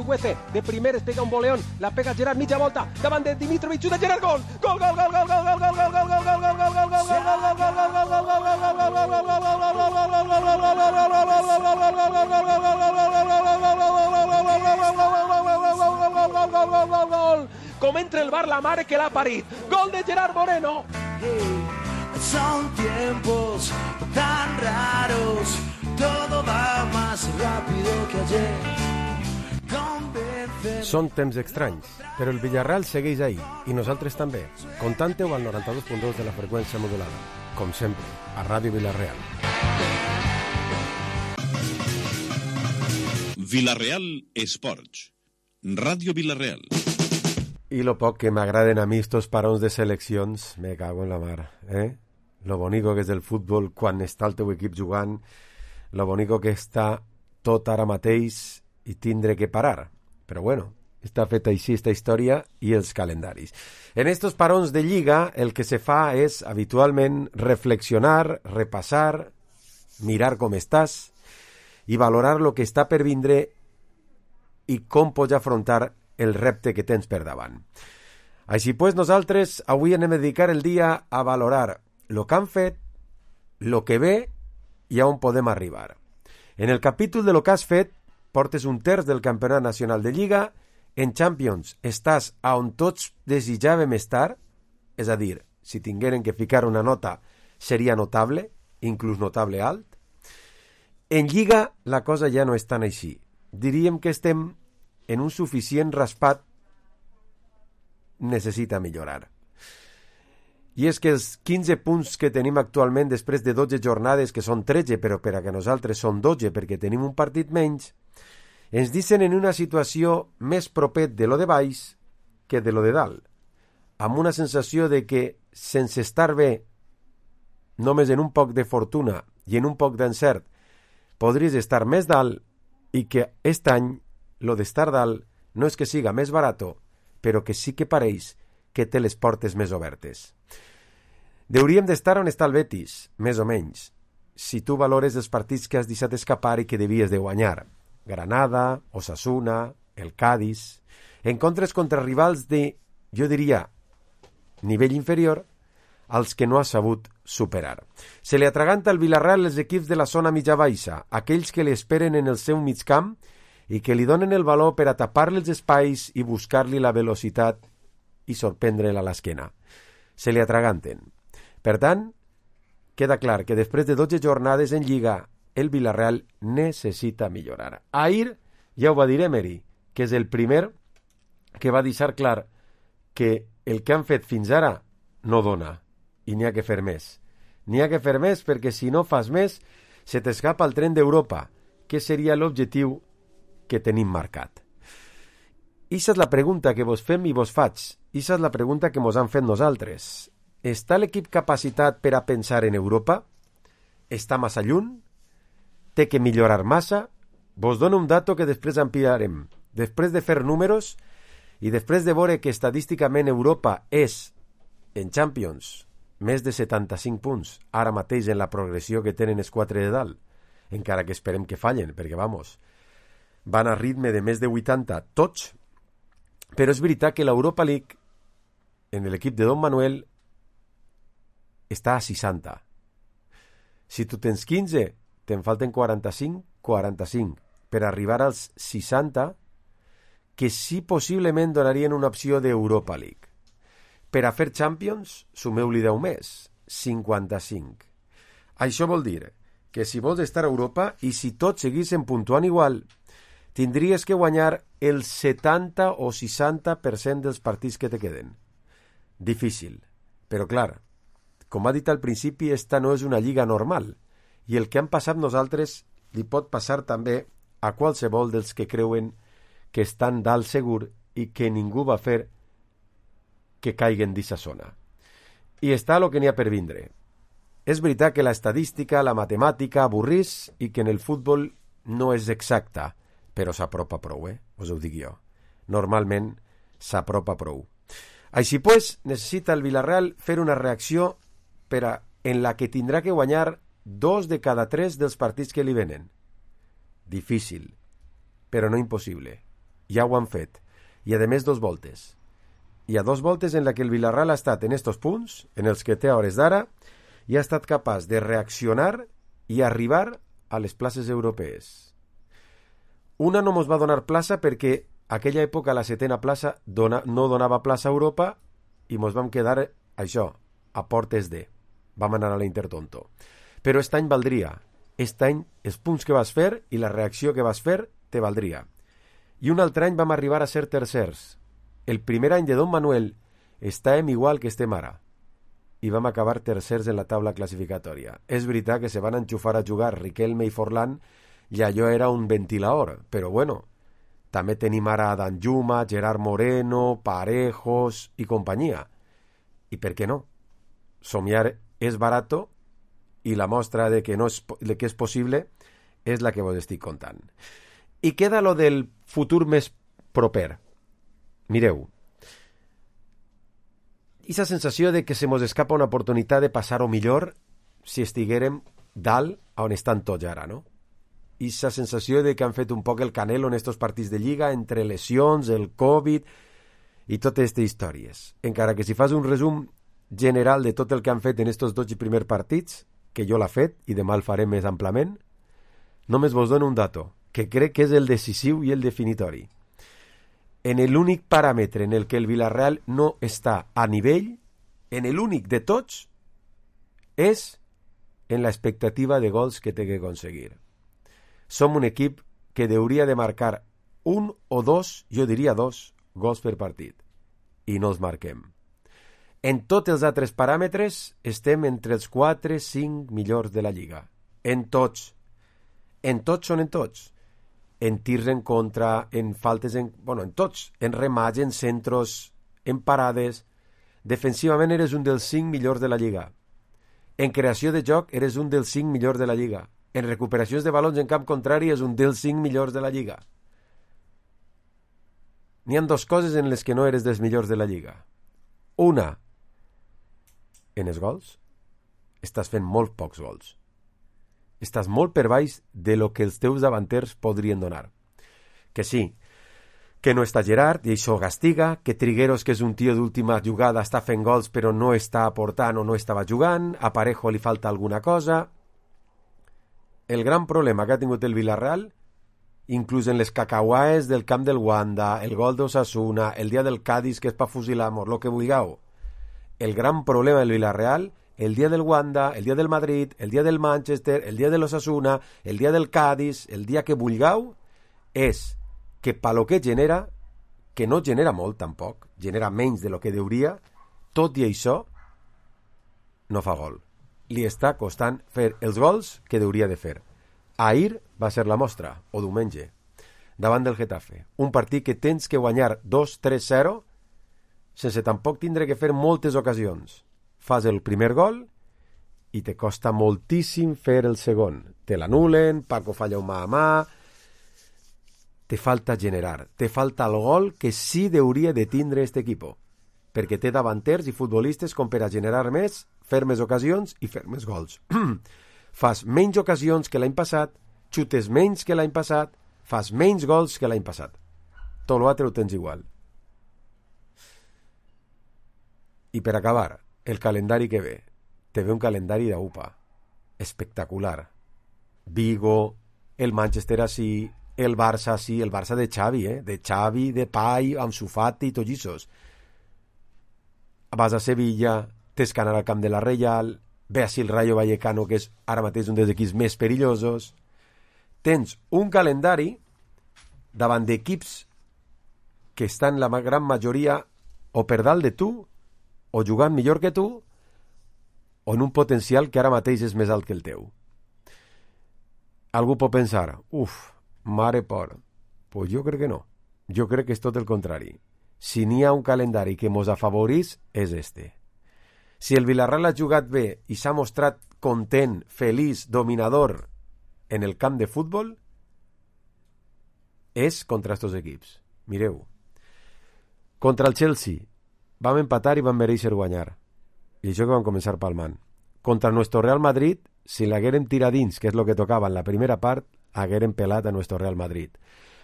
Chukwueze, de primeres pega un voleón, la pega Gerard, mitja volta, davant de Dimitrovic, xuta Gerard, gol! Gol, gol, gol, gol, gol, gol, gol, gol, gol, gol, gol, gol, gol, gol, com entra el bar la mare que l'ha parit. Gol de Gerard Moreno. Son tiempos tan raros, todo va más rápido que ayer. Són temps estranys, però el Villarreal segueix ahí, i nosaltres també. Contante-ho al 92.2 de la freqüència modulada. Com sempre, a Ràdio Villarreal. Villarreal Esports. Ràdio Villarreal. I lo poc que m'agraden a mi estos parons de seleccions, me cago en la mar, Lo bonico que és el futbol quan està el teu equip jugant, lo bonico que està tot ara mateix i tindre que parar. Però bueno, està feta així esta història i els calendaris. En estos parons de Lliga el que se fa és habitualment reflexionar, repassar, mirar com estàs i valorar lo que està per vindre i com pots afrontar el repte que tens per davant. Així pues, nosaltres avui anem a dedicar el dia a valorar lo que han fet, lo que ve i a on podem arribar. En el capítol de lo que has fet, portes un terç del campionat nacional de Lliga, en Champions estàs a on tots desitjàvem estar, és a dir, si tingueren que ficar una nota seria notable, inclús notable alt. En Lliga la cosa ja no és tan així. Diríem que estem en un suficient raspat, necessita millorar. I és que els 15 punts que tenim actualment després de 12 jornades, que són 13, però per a que nosaltres són 12 perquè tenim un partit menys, ens deixen en una situació més propet de lo de baix que de lo de dalt, amb una sensació de que, sense estar bé, només en un poc de fortuna i en un poc d'encert, podries estar més dalt i que aquest any lo d'estar dalt no és que siga més barato, però que sí que pareix que té les portes més obertes. Hauríem d'estar on està el Betis, més o menys, si tu valores els partits que has deixat escapar i que devies de guanyar. Granada, Osasuna, el Cádiz, encontres contra rivals de, jo diria, nivell inferior, als que no has sabut superar. Se li atraganta al Villarreal els equips de la zona mitja-baixa, aquells que li esperen en el seu migcamp i que li donen el valor per a tapar-li els espais i buscar-li la velocitat i sorprendre-la a l'esquena. Se li atraganten. Per tant, queda clar que després de 12 jornades en Lliga, el Villarreal necessita millorar. Ahir ja ho va dir Emery, que és el primer que va deixar clar que el que han fet fins ara no dona, i n'hi ha que fer més. N'hi ha que fer més perquè si no fas més, se t'escapa el tren d'Europa, que seria l'objectiu que tenim marcat. Ixa és la pregunta que vos fem i vos faig. Ixa és la pregunta que mos han fet nosaltres. Està l'equip capacitat per a pensar en Europa? Està massa lluny? Té que millorar massa? Vos dono un dato que després ampliarem. Després de fer números i després de veure que estadísticament Europa és, en Champions, més de 75 punts, ara mateix en la progressió que tenen els 4 de dalt, encara que esperem que fallen, perquè, vamos, van a ritme de més de 80 tots, però és veritat que l'Europa League, en l'equip de Don Manuel, està a 60. Si tu tens 15, te'n falten 45 per arribar als 60, que sí possiblement donarien una opció d'Europa League. Per a fer Champions, sumeu-li 10 més, 55. Això vol dir que si vols estar a Europa i si tots seguissin puntuant igual, tindries que guanyar el 70 o 60% dels partits que te queden. Difícil, però clar, com ha dit al principi, esta no és una lliga normal, i el que han passat nosaltres li pot passar també a qualsevol dels que creuen que estan dalt segur i que ningú va fer que caiguen d'eixa zona. I està el que n'hi ha per vindre. És veritat que la estadística, la matemàtica avorrís i que en el futbol no és exacta, però s'apropa prou, us ho dic jo. Normalment s'apropa prou. Així pues, necessita el Villarreal fer una reacció en la que tindrà que guanyar 2 de cada 3 dels partits que li venen. Difícil, però no impossible. ja ho han fet. I a més 2 voltes. Hi ha 2 voltes en la que el Villarreal ha estat en estos punts, en els que té a hores d'ara, i ha estat capaç de reaccionar i arribar a les places europees. Una no mos va donar plaça perquè aquella època la 7ª plaça no donava plaça a Europa i mos vam quedar, això, a portes de. Vam anar a l'Intertonto. Però aquest any valdria. Aquest any els punts que vas fer i la reacció que vas fer te valdria. I un altre any vam arribar a ser tercers. El primer any de Don Manuel estàvem igual que estem ara. I vam acabar tercers en la taula classificatòria. És veritat que se van enxufar a jugar Riquelme i Forlán i allò era un ventilador, però bueno, també tenim ara Danjuma, Gerard Moreno, Parejos i companyia. I per què no? Somiar és barato i la mostra de que és possible és la que vos estic contant. I queda lo del futur més proper. Mireu, aquesta sensació de que se mos escapa una oportunitat de passar-ho millor si estiguérem dalt on estan tots ara, no? Aquesta sensació de que han fet un poc el Canelo en estos partits de Lliga entre lesions, el Covid i totes aquestes històries. Encara que si fas un resum general de tot el que han fet en estos 12 primers partits, que jo l'ha fet i demà el faré més amplament, només vos dono un dato, que crec que és el decisiu i el definitori. En l'únic paràmetre en el que el Villarreal no està a nivell, en l'únic de tots, és en l'expectativa de gols que té que aconseguir. Som un equip que hauria de marcar 1 o 2, jo diria 2, gols per partit. I no els marquem. En tots els altres paràmetres estem entre els 4-5 millors de la Lliga. En tots. En tots són en tots. En tirs en contra, en faltes en tots. En remats, en centros, en parades. Defensivament eres un dels 5 millors de la Lliga. En creació de joc eres un dels 5 millors de la Lliga. En recuperacions de balons en camp contrari és un dels 5 millors de la Lliga. N'hi ha 2 coses en les que no eres dels millors de la Lliga. Una, en els gols, estàs fent molt pocs gols. Estàs molt per baix de lo que els teus davanters podrien donar. Que sí, que no està Gerard, i això castiga, que Trigueros, que és un tio d'última jugada, està fent gols però no està aportant o no estava jugant, a Parejo li falta alguna cosa. El gran problema que ha tingut el Villarreal, inclús en les cacauaes del camp del Wanda, el gol d'Osasuna, el dia del Cádiz, que és pa fusilamos, lo que vulgueu. El gran problema del Villarreal, el dia del Wanda, el dia del Madrid, el dia del Manchester, el dia de l'Osasuna, el dia del Cádiz, el dia que vulgueu, és que pa lo que genera, que no genera molt tampoc, genera menys de lo que deuria, tot i això, no fa gol. Li està costant fer els gols que deuria de fer. Ahir va ser la mostra, o diumenge, davant del Getafe. Un partit que tens que guanyar 2-3-0 sense tampoc tindre que fer moltes ocasions. Fas el primer gol i te costa moltíssim fer el segon. Te l'anulen, Paco falla un mà a mà. Te falta generar, te falta el gol que sí deuria de tindre aquest equip, perquè té davanters i futbolistes com per a generar més, fer més ocasions i fer més gols. Fas menys ocasions que l'any passat, xutes menys que l'any passat, fas menys gols que l'any passat. Tot l'altre ho tens igual. I per acabar, el calendari que ve. Te ve un calendari d'UPA. Espectacular. Vigo, el Manchester així, el Barça així, el Barça de Xavi, de Xavi, de Pai, Ansu Fati i tots aquests. Vas a Sevilla, tens que anar al camp de la Reial, ve així el Rayo Vallecano, que és ara mateix un dels equips més perillosos. Tens un calendari davant d'equips que estan la gran majoria o per dalt de tu, o jugant millor que tu, o en un potencial que ara mateix és més alt que el teu. Algú pot pensar, mare por. Pues jo crec que no. Jo crec que és tot el contrari. Si n'hi ha un calendari que mos afavorís, és este. Si el Villarreal ha jugat bé i s'ha mostrat content, feliç, dominador en el camp de futbol, és contra estos equips. Mireu. Contra el Chelsea vam empatar i vam mereixer guanyar. I això que vam començar palmant. Contra nuestro Real Madrid, si l'haguérem tirat dins, que és el que tocava en la primera part, haguérem pelat a nuestro Real Madrid.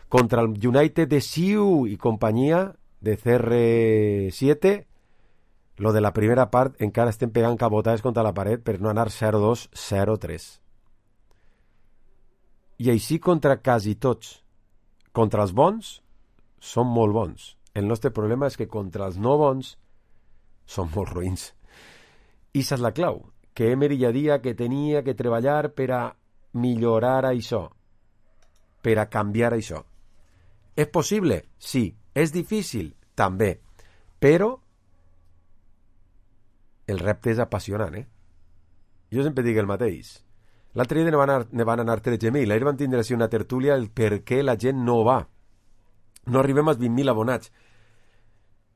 Contra el United de Siu y compañía de CR7, lo de la primera part encara estem pegant cabotades contra la paret per no anar 0-2, 0-3. I així contra quasi tots. Contra els bons, són molt bons. El nostre problema és que contra els no bons són molt ruïns. I esa és la clau, que Emery ja dia que tenia que treballar per a millorar això, per a canviar això. És possible? Sí. És difícil? També. Però el repte és apassionant, Jo sempre dic el mateix. L'altre dia ne van anar 13.000. Ahir van tindre una tertúlia el per què la gent no va. No arribem als 20.000 abonats.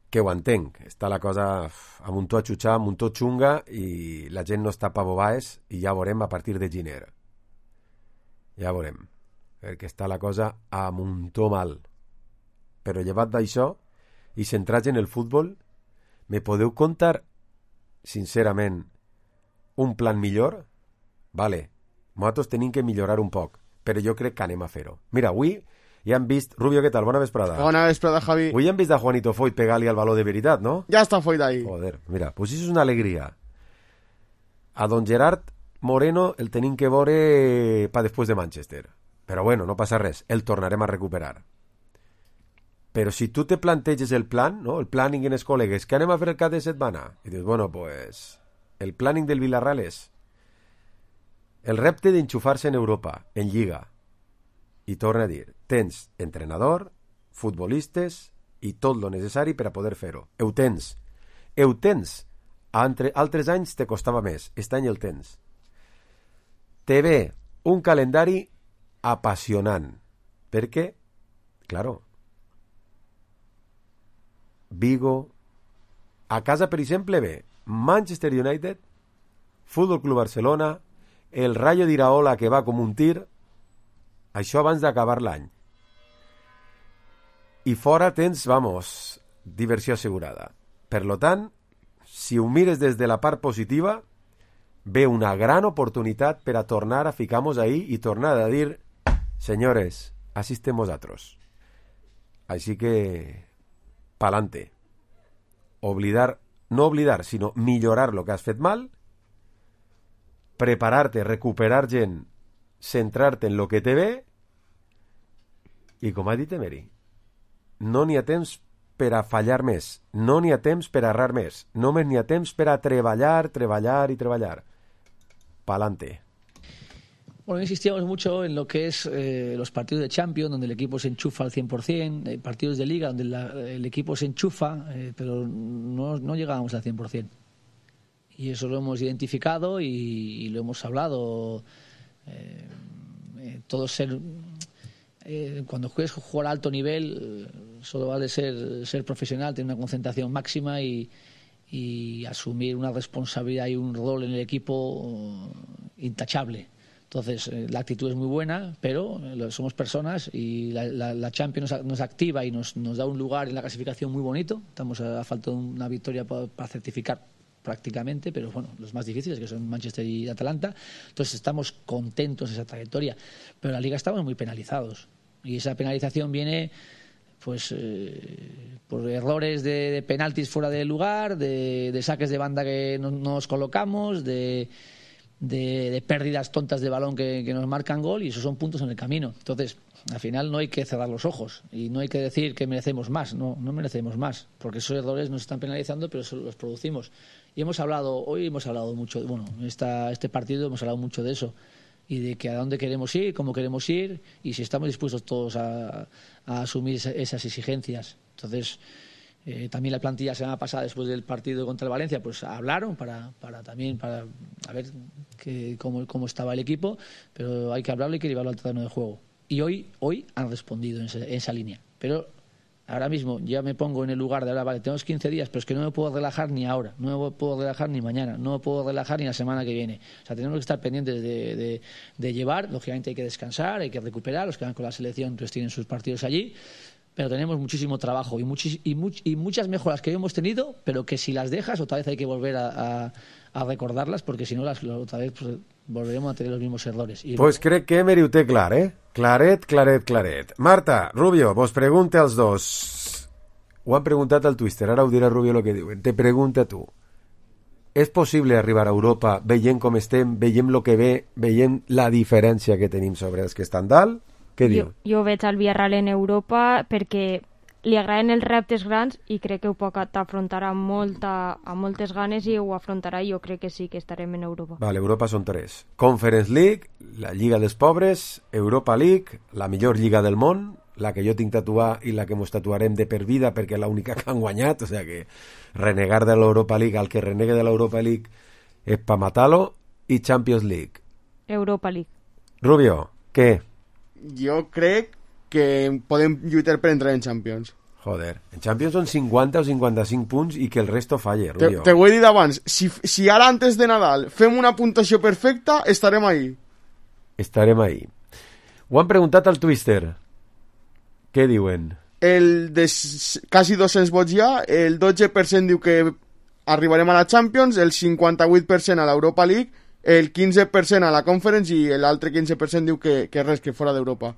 Que ho entenc. Està la cosa amb un to a xutxar, amb un to xunga, i la gent no està pa bobaes, i ja veurem a partir de gener. Ja veurem. Perquè està la cosa amb un to mal. Però llevat d'això, i centrats en el futbol, me podeu contar, sincerament, un plan millor? Vale, nosaltres tenim que millorar un poc, però jo crec que anem a fer-ho. Mira, avui ja hem vist... Rubio, què tal? Bona vesprada. Bona vesprada, Javi. Avui hem vist a Juanito Foyt pegar-li al baló de veritat, no? Ja està Foyt ahí. Joder, mira, pues això és una alegria. A don Gerard Moreno el tenim que veure pa després de Manchester. Però bueno, no passa res, el tornarem a recuperar. Però si tu te planteges el plan, no? El planning en els col·legues, què anem a fer el cap de setmana? I dius, bueno, pues el planning del Villarreal és el repte d'enxufar-se en Europa, en Lliga. I torna a dir, tens entrenador, futbolistes i tot lo necessari per a poder fer-ho. Ho tens. Ho tens. Altres anys te costava més. Aquest any el tens. Te ve un calendari apassionant. Perquè, claro, Vigo, a casa, per exemple, ve Manchester United, Fútbol Club Barcelona, el Rayo d'Iraola, que va com un tir, això abans d'acabar l'any. I fora tens, vamos, diversió assegurada. Per lo tant, si ho mires des de la part positiva, ve una gran oportunitat per a tornar a ficar-nos ahí i tornar a dir, senyores, així estem vosaltres. Així que, pa'lante. No oblidar, sinó millorar lo que has fet mal, preparar-te, recuperar gent, centrar-te en lo que te ve, i com ha dit Emery, no n'hi ha temps per a fallar més, no n'hi ha temps per a errar més, només n'hi ha temps per a treballar i treballar. Pa'lante. Bueno, insistíamos mucho en lo que es los partidos de Champions, donde el equipo se enchufa al 100%, partidos de Liga, donde el equipo se enchufa, pero no llegábamos al 100%. Y eso lo hemos identificado y lo hemos hablado. Cuando juegues jugar a alto nivel, solo vale ser profesional, tener una concentración máxima y asumir una responsabilidad y un rol en el equipo intachable. Entonces, la actitud es muy buena, pero somos personas y la Champions nos activa y nos da un lugar en la clasificación muy bonito. Estamos a falta de una victoria para certificar prácticamente, pero bueno, los más difíciles, que son Manchester y Atalanta. Entonces, estamos contentos de esa trayectoria. Pero en la Liga estamos muy penalizados. Y esa penalización viene pues por errores de penaltis fuera de lugar, de saques de banda que no nos colocamos, de pérdidas tontas de balón que nos marcan gol, y esos son puntos en el camino. Entonces, al final no hay que cerrar los ojos y no hay que decir que merecemos más. No merecemos más, porque esos errores nos están penalizando, pero los producimos. Y hoy hemos hablado mucho, bueno, este partido hemos hablado mucho de eso, y de que a dónde queremos ir, cómo queremos ir, y si estamos dispuestos todos a asumir esas exigencias. Entonces, también la plantilla semana pasada, después del partido contra el Valencia, pues hablaron para a ver cómo estaba el equipo, pero hay que hablarlo y hay que llevarlo al terreno de juego. Y hoy han respondido en esa línea. Pero ahora mismo ya me pongo en el lugar de ahora, vale, tenemos 15 días, pero es que no me puedo relajar ni ahora, no me puedo relajar ni mañana, no me puedo relajar ni la semana que viene. O sea, tenemos que estar pendientes de llevar. Lógicamente hay que descansar, hay que recuperar. Los que van con la selección pues tienen sus partidos allí. Pero tenemos muchísimo trabajo y muchas mejoras que hemos tenido, pero que si las dejas otra vez hay que volver a recordarlas, porque si no otra vez pues, volveremos a tener los mismos errores. Pues crec que Emery ho té clar, Claret. Marta, Rubio, vos pregunte als dos. Ho han preguntat al Twister, ara ho dirà Rubio el que diuen. Te pregunta tu. És possible arribar a Europa veient com estem, veient el que ve, veient la diferència que tenim sobre els que estan dalt? Què diu? Jo veig el Villarreal en Europa perquè li agraden els reptes grans i crec que ho pot afrontar amb moltes ganes i ho afrontarà i jo crec que sí que estarem en Europa. Vale, Europa són 3. Conference League, la Lliga dels Pobres, Europa League, la millor lliga del món, la que jo tinc tatuar i la que mos tatuarem de per vida perquè és l'única que han guanyat, o sea que renegar de l'Europa League, al que renegue de l'Europa League és pa matar-lo, i Champions League. Europa League. Rubio, què? Jo crec que podem lluitar per entrar en Champions. Joder, en Champions són 50 o 55 punts i que el resto falle, Rubio. Te ho he dit abans, si ara antes de Nadal fem una puntuació perfecta, estarem ahí. Estarem ahí. Ho han preguntat al Twister. Què diuen? El de quasi 200 vots ja, el 12% diu que arribarem a la Champions, el 58% a l'Europa League, el 15% a la Conference i l'altre 15% diu que res, que fora d'Europa.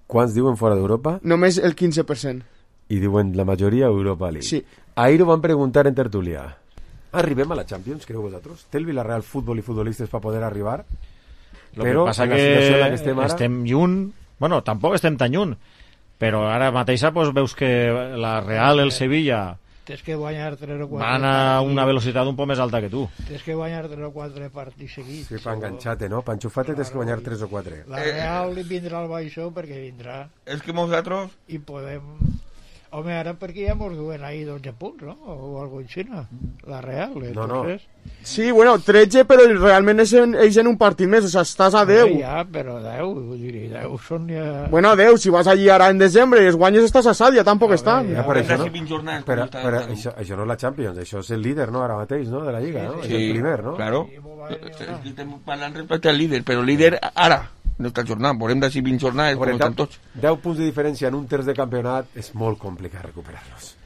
Quants diuen fora d'Europa? Només el 15%. I diuen la majoria Europa League. Sí. Ahir ho van preguntar en tertúlia. Arribem a la Champions, creu vosaltres? Té el Villarreal futbol i futbolistes per poder arribar? Lo que passa que estem lluny. Bueno, tampoc estem tan lluny, però ara mateixa pues, veus que la Real, el Sevilla tens que guanyar 3 o 4 van a una velocitat un poc més alta que tu. Tens que guanyar 3 o 4 partits seguits. Sí, pa enganxar-te, no? Pa enxufar-te tens que guanyar 3 o 4. La Real vindrà al baixó perquè vindrà. És que nosaltres... I podem... Home, ara perquè ja mos duen ahí 12 punts, no? O algo així, no? La Real, entonces... No. Sí, bueno, 13, però realment és en un partit més, o sea, estàs a 10. Ja, però 10, vull dir, 10 són ja... Bueno, 10, si vas allí ara en desembre i els guanyes estàs a Sàdia, tampoc estan. Ja, per això, no? Però això no és la Champions, això és el líder, no?, ara mateix, no?, de la Lliga, no? Sí, és el primer, no? Claro. Estem parlant respecte al líder, però líder ara, no està jornada, veurem d'ací 20 jornades, com estan tots. 10 punts de diferència en un terç de campionat és molt complicat recuperar-los.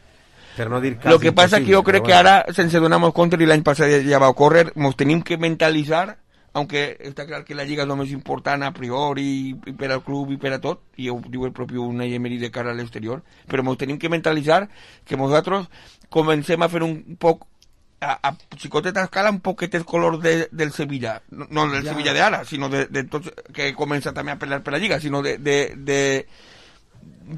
Per no dir quasi Lo que pasa que yo creo que ahora, sense donamos compte, i l'any passat ja va ocórrer, nos tenim que mentalitzar, aunque està clar que la Lliga és el més important a priori, i per al club i per a tot, i ho diu el propi Unai Emery de cara a l'exterior, però nos tenim que mentalitzar que nosaltres comencem a fer un poc a xicoteta escala un poquet el color del Sevilla, no del Sevilla de ara, sinó de tots que comença també a pelear per la Lliga, sinó de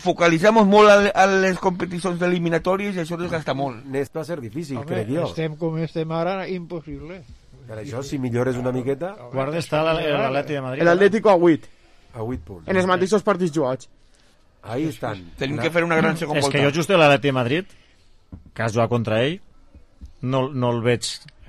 focalitzamos molt a les competicions eliminatòries i això desgasta molt. N'està a ser difícil, home, crec jo. Estem com estem ara, impossible. Per això, si millores una miqueta... Guarda està l'Atleti de Madrid. L'Atlético a 8. A 8 punts. En els mateixos partits jugats. Ahí estan. Tenim que fer una gran segona volta. És que jo just l'Atleti de Madrid, que has jugat contra ell, no el veig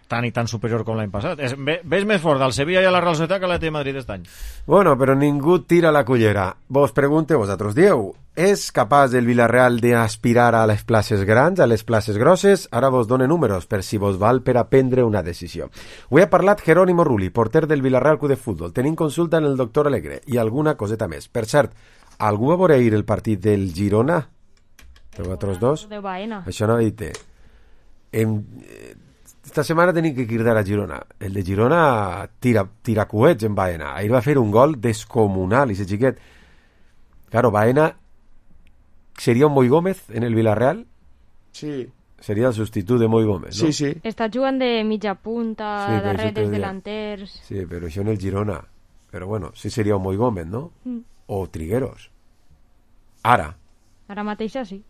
tan i tan superior com l'any passat. Ves més fort del Sevilla i a la Real Societat que l'Atleti de Madrid aquest any. Bueno, però ningú tira la cullera. Vos pregunte vosaltres, dieu, és capaç el Villarreal d'aspirar a les places grans, a les places grosses? Ara vos done números per si vos val per a prendre una decisió. Ho ha parlat Jerónimo Rulli, porter del Villarreal Club de Futbol. Tenim consulta en el doctor Alegre i alguna coseta més. Per cert, algú va veure ahir el partit del Girona? De vosaltres dos? De Baena. Això no ha dit. Esta setmana tenim que cridar a Girona. El de Girona tira coets en Baena. Ahir va fer un gol descomunal, i ese xiquet. Claro, Baena seria un Moi Gómez en el Villarreal? Sí. Seria el substitut de Moi Gómez, no? Sí, sí. Està jugant de mitja punta, sí, darreres delanters... Sí, però això en el Girona. Però bueno, sí seria un Moi Gómez, no? O Trigueros. Ara. Ara mateixa sí.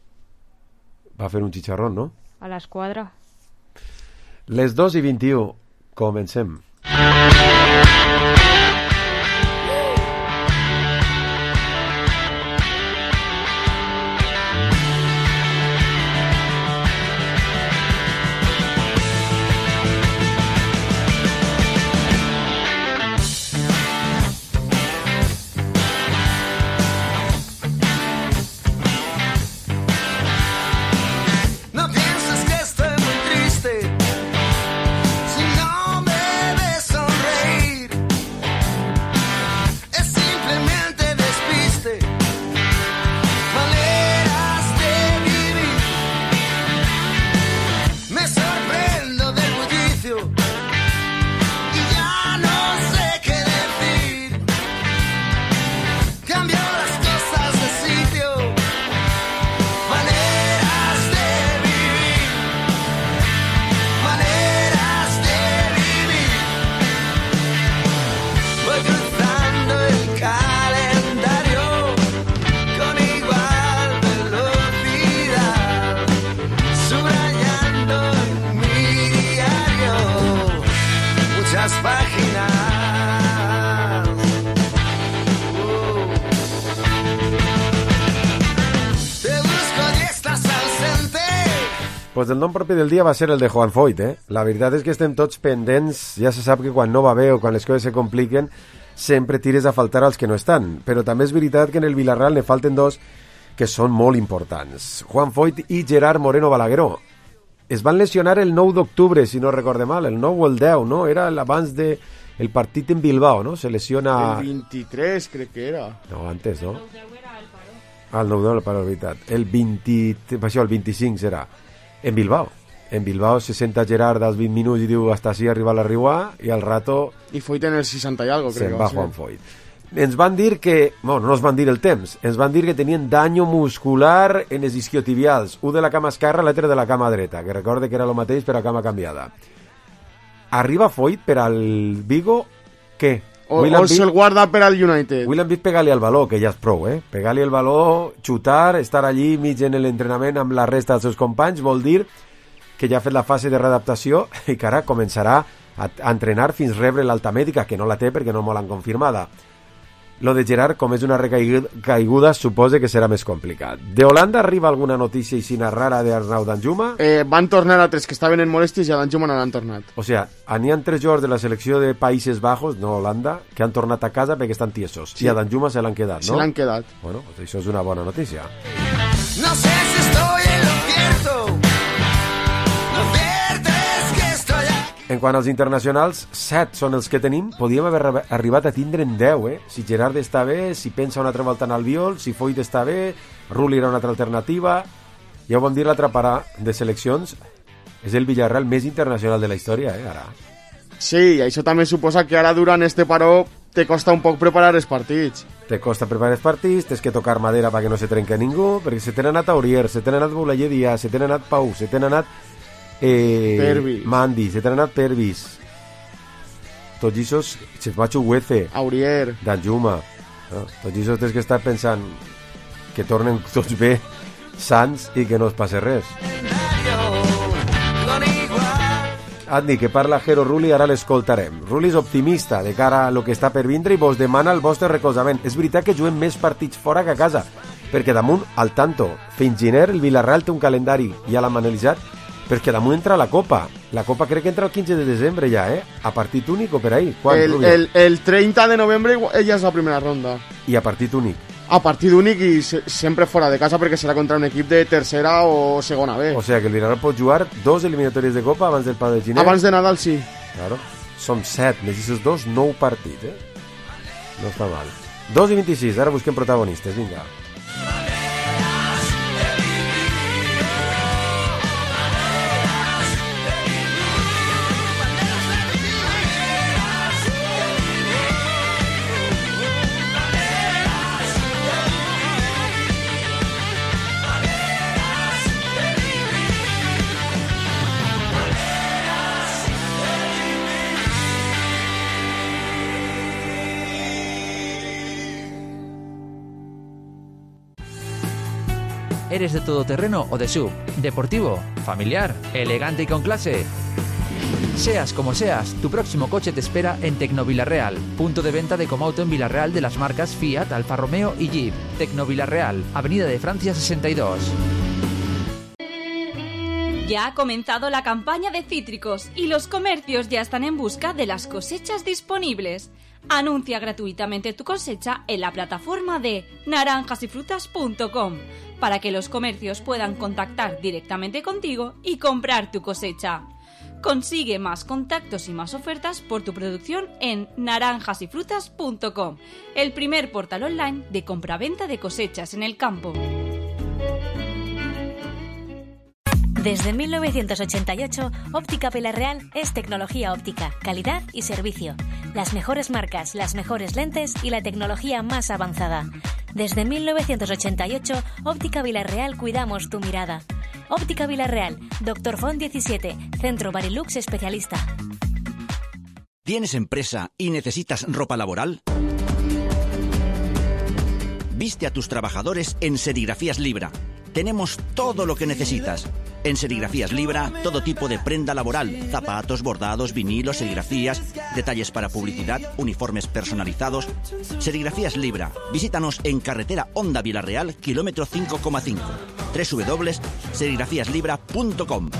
Va fer un xicharrón, no? A l'esquadra. Les 2:21. Comencem. Si no me ves sonreír Pues el nom propi del dia va ser el de Juan Foyt, eh? La veritat és que estem tots pendents, ja se sap que quan no va bé o quan les coses se compliquen sempre tires a faltar als que no estan, però també és veritat que en el Villarreal ne falten dos que són molt importants, Juan Foyt i Gerard Moreno Balagueró. Es van lesionar el 9 d'octubre, si no recorde mal, el 9 o el 10, no? Era abans de el partit en Bilbao, no? Se lesiona... El 23, crec que era. No, antes, no? El 9 el paró, veritat. El 25 serà. En Bilbao. En Bilbao se senta Gerard als 20 minuts i diu hasta així arriba la Riuà i al rato... I Foyt en el 60 i algo, crec que va Juan Foyt. Ens van dir que... Bueno, no ens van dir el temps. Ens van dir que tenien danyo muscular en els isquiotibials. Un de la cama esquerra, l'altre de la cama dreta. Que recorde que era el mateix però a cama canviada. Arriba Foyt per al Vigo, què? O se'l guarda per al United. William Vitt pegar-li al baló, que ja és prou, eh? Pegar-li el baló, xutar, estar allí mig en l'entrenament amb la resta dels seus companys, vol dir que ja ha fet la fase de readaptació i que ara començarà a entrenar fins rebre l'alta mèdica, que no la té perquè no molt han confirmada. Lo de Gerard, com és una recaiguda, suposa que serà més complicat. De Holanda arriba alguna notícia aixina rara d'Arnau Danjuma? Van tornar altres que estaven en molèsties i a Danjuma no l'han tornat. O sigui, n'hi ha 3 jugadors de la selecció de Països Bajos, no Holanda, que han tornat a casa perquè estan tiesos. Sí. I a Danjuma se l'han quedat, no? Se l'han quedat. Bueno, pues això és una bona notícia. No sé si estoy en lo cierto. Lo cierto es que estoy aquí. En quant als internacionals, 7 són els que tenim. Podíem haver arribat a tindre en 10, eh? Si Gerard està bé, si pensa una altra volta en Albiol, si Foyt està bé, Rulli era una altra alternativa. Ja ho vam dir, l'altra parada de seleccions és el Villarreal més internacional de la història, ara. Sí, i això també suposa que ara durant este paró te costa un poc preparar els partits. Te costa preparar els partits, tens que tocar madera perquè no se trenque ningú, perquè se t'han anat Aurier, se t'han anat Boulaye Díaz, se t'han anat Pau, se t'han anat Pervis. Mandi, se t'han anat Pervis, tots aquests, Chesmacho Huece, Aurier, Danjuma, no? Tots aquests tens que estar pensant que tornen tots bé, sants i que no es passe res. Adni, que parla Jero Rulli, ara l'escoltarem. Rulli és optimista de cara a lo que està per vindre i vos demana el vostre recolzament. És veritat que juguem més partits fora que a casa, perquè damunt, al tanto, fins gener el Villarreal té un calendari, ja l'hem analitzat, perquè damunt entra la Copa. La Copa crec que entra el 15 de desembre ja, eh? A partit únic o per ahí? El 30 de novembre ja és la primera ronda. I a partit únic? A partit únic i sempre fora de casa perquè serà contra un equip de tercera o segona B. O sigui que el Villarreal pot jugar 2 eliminatòries de Copa abans del pal de gener? Abans de Nadal, sí. Claro. Som 7, més aquests 2, 9 partits, eh? No està mal. 2 i 26, ara busquem protagonistes, vinga. ¿Eres de todoterreno o de SUV? ¿Deportivo? ¿Familiar? ¿Elegante y con clase? Seas como seas, tu próximo coche te espera en Tecnovillarreal, punto de venta de Comauto en Villarreal de las marcas Fiat, Alfa Romeo y Jeep. Tecnovillarreal, Avenida de Francia 62. Ya ha comenzado la campaña de cítricos y los comercios ya están en busca de las cosechas disponibles. Anuncia gratuitamente tu cosecha en la plataforma de naranjasyfrutas.com para que los comercios puedan contactar directamente contigo y comprar tu cosecha. Consigue más contactos y más ofertas por tu producción en naranjasyfrutas.com, el primer portal online de compraventa de cosechas en el campo. Desde 1988, Óptica Villarreal es tecnología óptica, calidad y servicio. Las mejores marcas, las mejores lentes y la tecnología más avanzada. Desde 1988, Óptica Villarreal cuidamos tu mirada. Óptica Villarreal, Dr. Font 17, Centro Barilux Especialista. ¿Tienes empresa y necesitas ropa laboral? Viste a tus trabajadores en Serigrafías Libra. Tenemos todo lo que necesitas. En Serigrafías Libra, todo tipo de prenda laboral, zapatos, bordados, vinilos, serigrafías, detalles para publicidad, uniformes personalizados. Serigrafías Libra. Visítanos en carretera Honda Villarreal, kilómetro 5,5. www.serigrafiaslibra.com.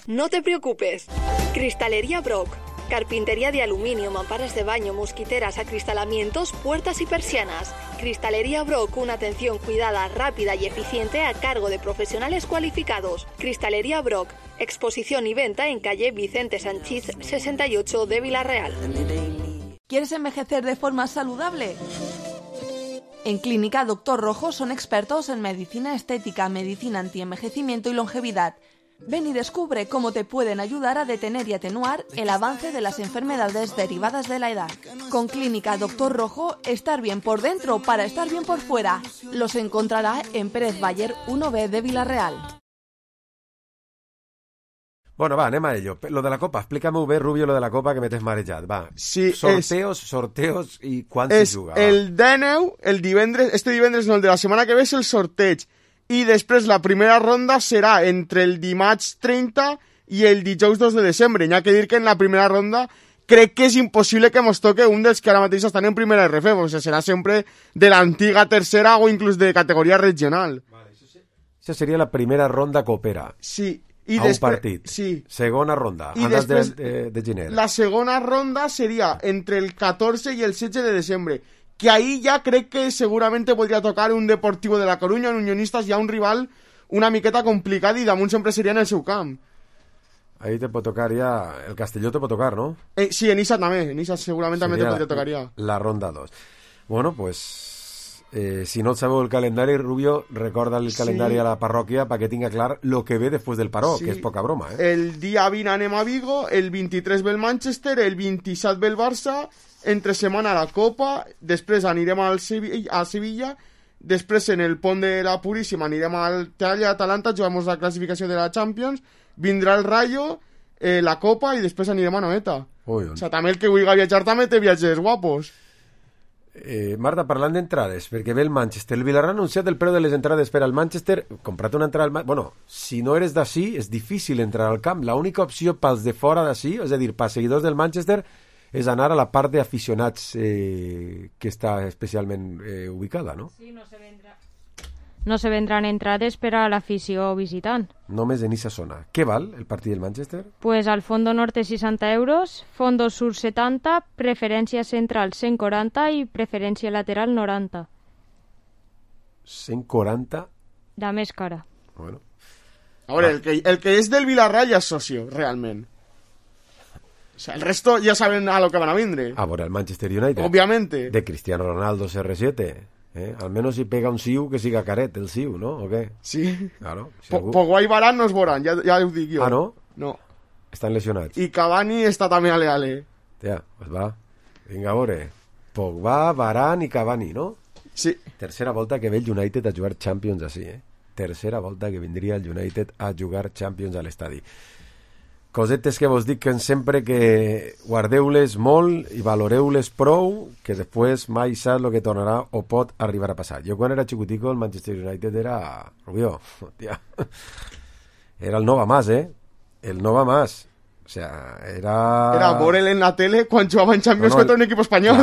No te preocupes. Cristalería Brock. Carpintería de aluminio, mamparas de baño, mosquiteras, acristalamientos, puertas y persianas. Cristalería Brock, una atención cuidada, rápida y eficiente a cargo de profesionales cualificados. Cristalería Brock, exposición y venta en calle Vicente Sanchís 68 de Villarreal. ¿Quieres envejecer de forma saludable? En Clínica Doctor Rojo son expertos en medicina estética, medicina antienvejecimiento y longevidad. Ven y descubre cómo te pueden ayudar a detener y atenuar el avance de las enfermedades derivadas de la edad. Con Clínica Doctor Rojo, estar bien por dentro para estar bien por fuera. Los encontrará en Pérez Bayer 1B de Villarreal. Bueno, va, anem a ello. Lo de la Copa, explícame bé, Rubio, lo de la Copa, que m'he marejat, va. Sí, sorteos i quan se juga. El 19, el divendres, este divendres no, el de la setmana que ve és el sorteig. I després la primera ronda serà entre el dimarts 30 i el dijous 2 de desembre. N'hi ha que dir que en la primera ronda crec que és impossible que mos toque un dels que ara mateix estan en primera RF, o sigui, serà sempre de l'antiga tercera o inclús de categoria regional. Vale, això seria la primera ronda copera. Sí. I a un partit. Sí. Segona ronda, I antes després, de gener. La segona ronda seria entre el 14 i el 16 de desembre. Que ahí ya crec que seguramente podria tocar un Deportivo de la Coruña, un Unionistas, ja un rival una miqueta complicat i damunt sempre seria en el seu camp. Ahí te pot tocar ja... El Castelló te pot tocar, ¿no? Sí, en Issa també. En Issa segurament també te podria tocar ja. La ronda 2. Bueno, pues... si no sabeu el calendari, Rubio, recorda el calendari a la parròquia perquè tinga clar lo que ve després del paró, que és poca broma, El dia 20 anem a Vigo, el 23 ve el Manchester, el 27 ve el Barça, entre setmana la Copa, després anirem a Sevilla, després en el pont de la Puríssima anirem al Atalanta, juguem la classificació de la Champions, vindrà el Rayo, la Copa i després anirem a Noeta. O sigui, també el que vulgui viatjar també té viatges guapos. Marta, parlant d'entrades, perquè ve el Manchester, el Villarreal ha anunciat el preu de les entrades per al Manchester. Compra't una entrada al bueno, si no eres d'ací és difícil entrar al camp, l'única opció pels de fora d'ací, és a dir, pels seguidors del Manchester, és anar a la part d'aficionats que està especialment ubicada, no? Sí, no se vendran entrades per a l'afició visitant. Només en esa zona. Què val el partit del Manchester? Pues al fondo norte 60 euros, fondo sur 70, preferència central 140 i preferència lateral 90. 140? La més cara. Bueno. A veure, el que és del Villarreal ja és socio, realment. O sea, el resto ya saben a lo que van a vindre. A veure, el Manchester United. Obviamente. De Cristiano Ronaldo CR7. Al menos si pega un Siu que siga caret el Siu, ¿no? ¿O qué? Sí. Claro. Si Pogba i Varane no es veuran, ja ho dic jo. Ah, no? No. Estan lesionats. I Cavani està també ale. Tia, pues va. Vinga, a veure. Pogba, Varane i Cavani, no? Sí. Tercera volta que ve el United a jugar Champions així, Tercera volta que vindria el United a jugar Champions a l'estadi. Cosetes que vos dic sempre que guardeu-les molt i valoreu-les prou, que després mai saps el que tornarà o pot arribar a passar. Jo quan era xicutico el Manchester United era... Rubio, tia. Era el Nova Mas, El Nova Mas. O sea, era... Era veure-el en la tele quan jugava en Champions contra un equip espanyol.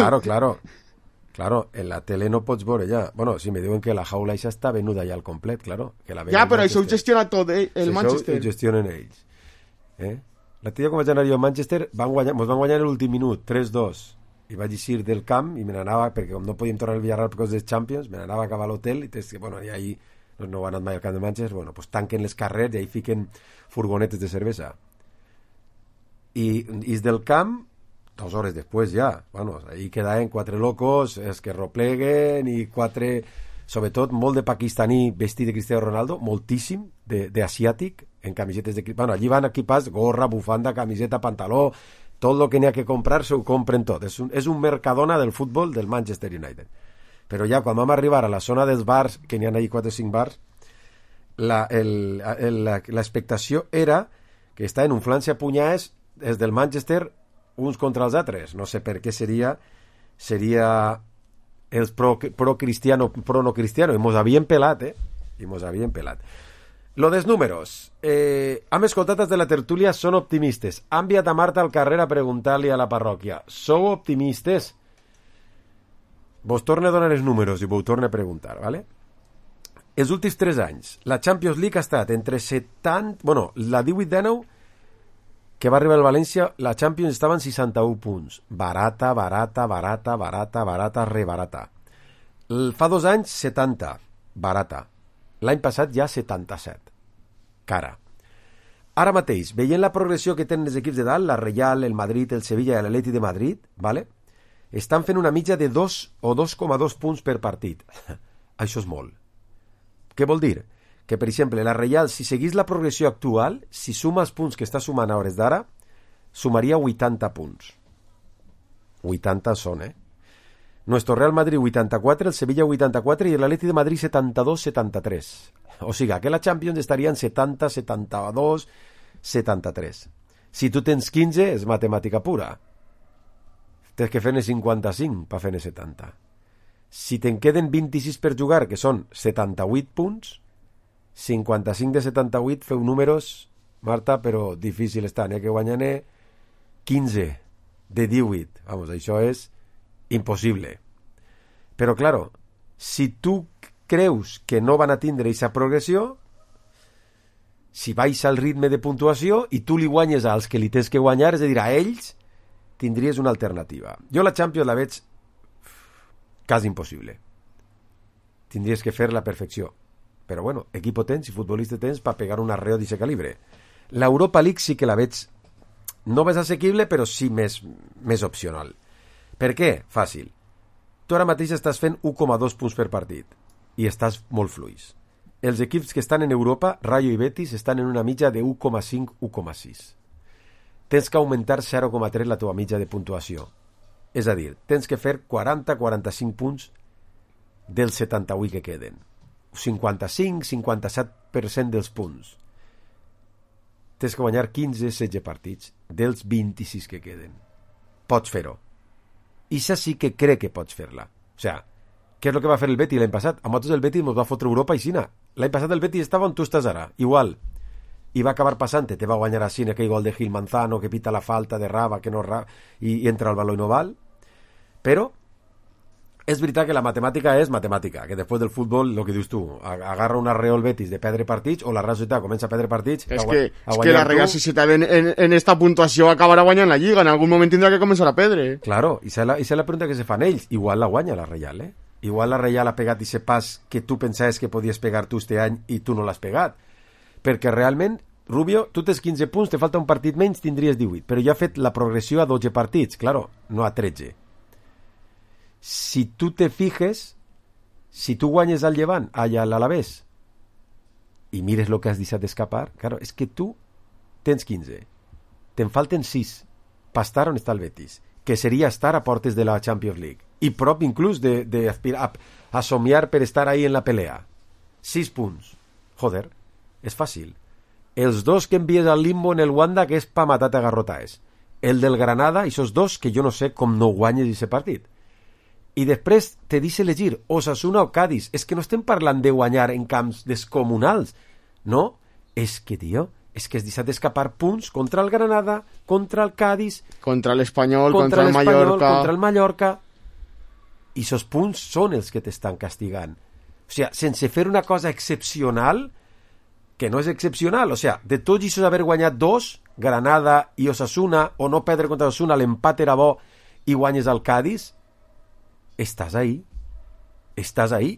Claro, en la tele no pots veure ja. Bueno, si me diuen que la jaula ja està venuda ja al complet, claro. Que la ja, però això ho gestiona tot, el Manchester. Això ho gestionen ells. L'altre dia quan vaig anar jo a Manchester mos van guanyar l'últim minut 3-2 i vaig eixir del camp i me n'anava, perquè com no podíem tornar al Villarreal per coses dels Champions, me n'anava a acabar a l'hotel i ahí no he anat mai al camp de Manchester, pues tanquen les carrers i ahí fiquen furgonetes de cervesa i del camp 2 hores després ja, ahí quedaven 4 locos, els que repleguen i 4, sobretot molt de pakistaní vestit de Cristiano Ronaldo, moltíssim d'asiàtic en camisetes de... allí van equipats gorra, bufanda, camiseta, pantaló, tot el que n'hi ha que comprar s'ho compren tot. És un Mercadona del futbol del Manchester United. Però ja quan vam arribar a la zona dels bars, que n'hi ha allí 4 o 5 bars, l'expectació era que estaven unflant-se a punyades els del Manchester uns contra els altres. No sé per què seria els pro-cristiano, pro-no cristiano, i mos havien pelat, Lo dels números. Hem escoltat de la tertúlia, són optimistes. Han enviat a Marta al carrer a preguntar-li a la parròquia. Sou optimistes? vos torno a donar els números i vos torno a preguntar, ¿vale? Els últims 3 anys, la Champions League ha estat entre 70... Bueno, la 18-19, que va arribar al València, la Champions estava en 61 punts. Barata, rebarata. Fa 2 anys, 70. Barata. L'any passat ja 77. Cara. Ara mateix, veient la progressió que tenen els equips de dalt, la Real, el Madrid, el Sevilla i l'Atleti de Madrid, ¿vale? Estan fent una mitja de 2 o 2,2 punts per partit. Això és molt. Què vol dir? Que, per exemple, la Real, si seguís la progressió actual, si suma els punts que està sumant a hores d'ara, sumaria 80 punts. 80 són, Nuestro Real Madrid 84, el Sevilla 84 i l'Atleti de Madrid 72-73. O sigui, que la Champions estaria en 70, 72, 73. Si tu tens 15, és matemàtica pura. Tens que fer-ne 55 per fer-ne 70. Si te'n queden 26 per jugar, que són 78 punts, 55 de 78, feu números, Marta, però difícil està. N'hi ha que guanyar-ne 15 de 18. Vamos, això és impossible. Però, claro, si tu creus que no van a tindre aquesta progressió, si baixa el ritme de puntuació i tu li guanyes als que li tens que guanyar, és a dir, a ells, tindries una alternativa. Jo la Champions la veig quasi impossible. Tindries que fer la perfecció. Però bueno, equipo tens i futbolista tens per pegar un arreo d'aquest calibre. L'Europa League sí que la veig no més assequible, però sí més opcional. Per què? Fàcil. Tu ara mateix estàs fent 1,2 punts per partit i estàs molt fluix. Els equips que estan en Europa, Rayo i Betis, estan en una mitja de 1,5-1,6. Tens que augmentar 0,3 la teva mitja de puntuació. És a dir, tens que fer 40-45 punts dels 78 que queden. 55-57% dels punts. Tens que guanyar 15-16 partits dels 26 que queden. Pots fer-ho. I sí que crec que pots fer-la. O sigui, què és el que va fer el Betis l'any passat? A nosaltres el Betis ens va fotre Europa i Xina. L'any passat el Betis estava on tu estàs ara, igual. I va acabar passant, te va guanyar a Xina aquell gol de Gil Manzano que pita la falta de Raba, que no i entra al baló i no val. Però és veritat que la matemàtica és matemàtica, que després del futbol, el que dius tu, agarra un arreo el Betis de perdre partits, o la Real Societat comença a perdre partits... És que la Real Societat en esta puntuació acabarà guanyant la Lliga, en algun moment tindrà que començar a perdre. Claro, i esa és la pregunta que se fan ells. Igual la guanya la Real, Igual la Real ha pegat aquest pas que tu pensaves que podies pegar tu este any i tu no l'has pegat. Perquè realment, Rubio, tu tens 15 punts, te falta un partit menys, tindries 18, però ja ha fet la progressió a 12 partits, claro, no a 13. Si tu te fijes, si tu guanyes al Llevant, allà a l'Alavés, i mires el que has deixat d'escapar, claro, és que tu tens 15, te'n falten 6 per estar on està el Betis, que seria estar a portes de la Champions League, i prop inclús d'aspirar a somiar per estar ahí en la pelea. 6 punts. Joder, és fàcil. Els dos que envies al limbo en el Wanda, que és pa matar a garrotaes. El del Granada, i esos dos que jo no sé com no guanyes aquest partit. I després te deixa elegir Osasuna o Cádiz. És que no estem parlant de guanyar en camps descomunals. No, és que, tio, és que has deixat d'escapar punts contra el Granada, contra el Cádiz, contra l'Espanyol, contra el Mallorca. Contra el Mallorca. I esos punts són els que t'estan castigant. O sigui, sense fer una cosa excepcional, que no és excepcional, o sigui, de tots aquests haver guanyat 2, Granada i Osasuna, o no perdre contra Osasuna, l'empat era bo i guanyes al Cádiz, estàs ahí,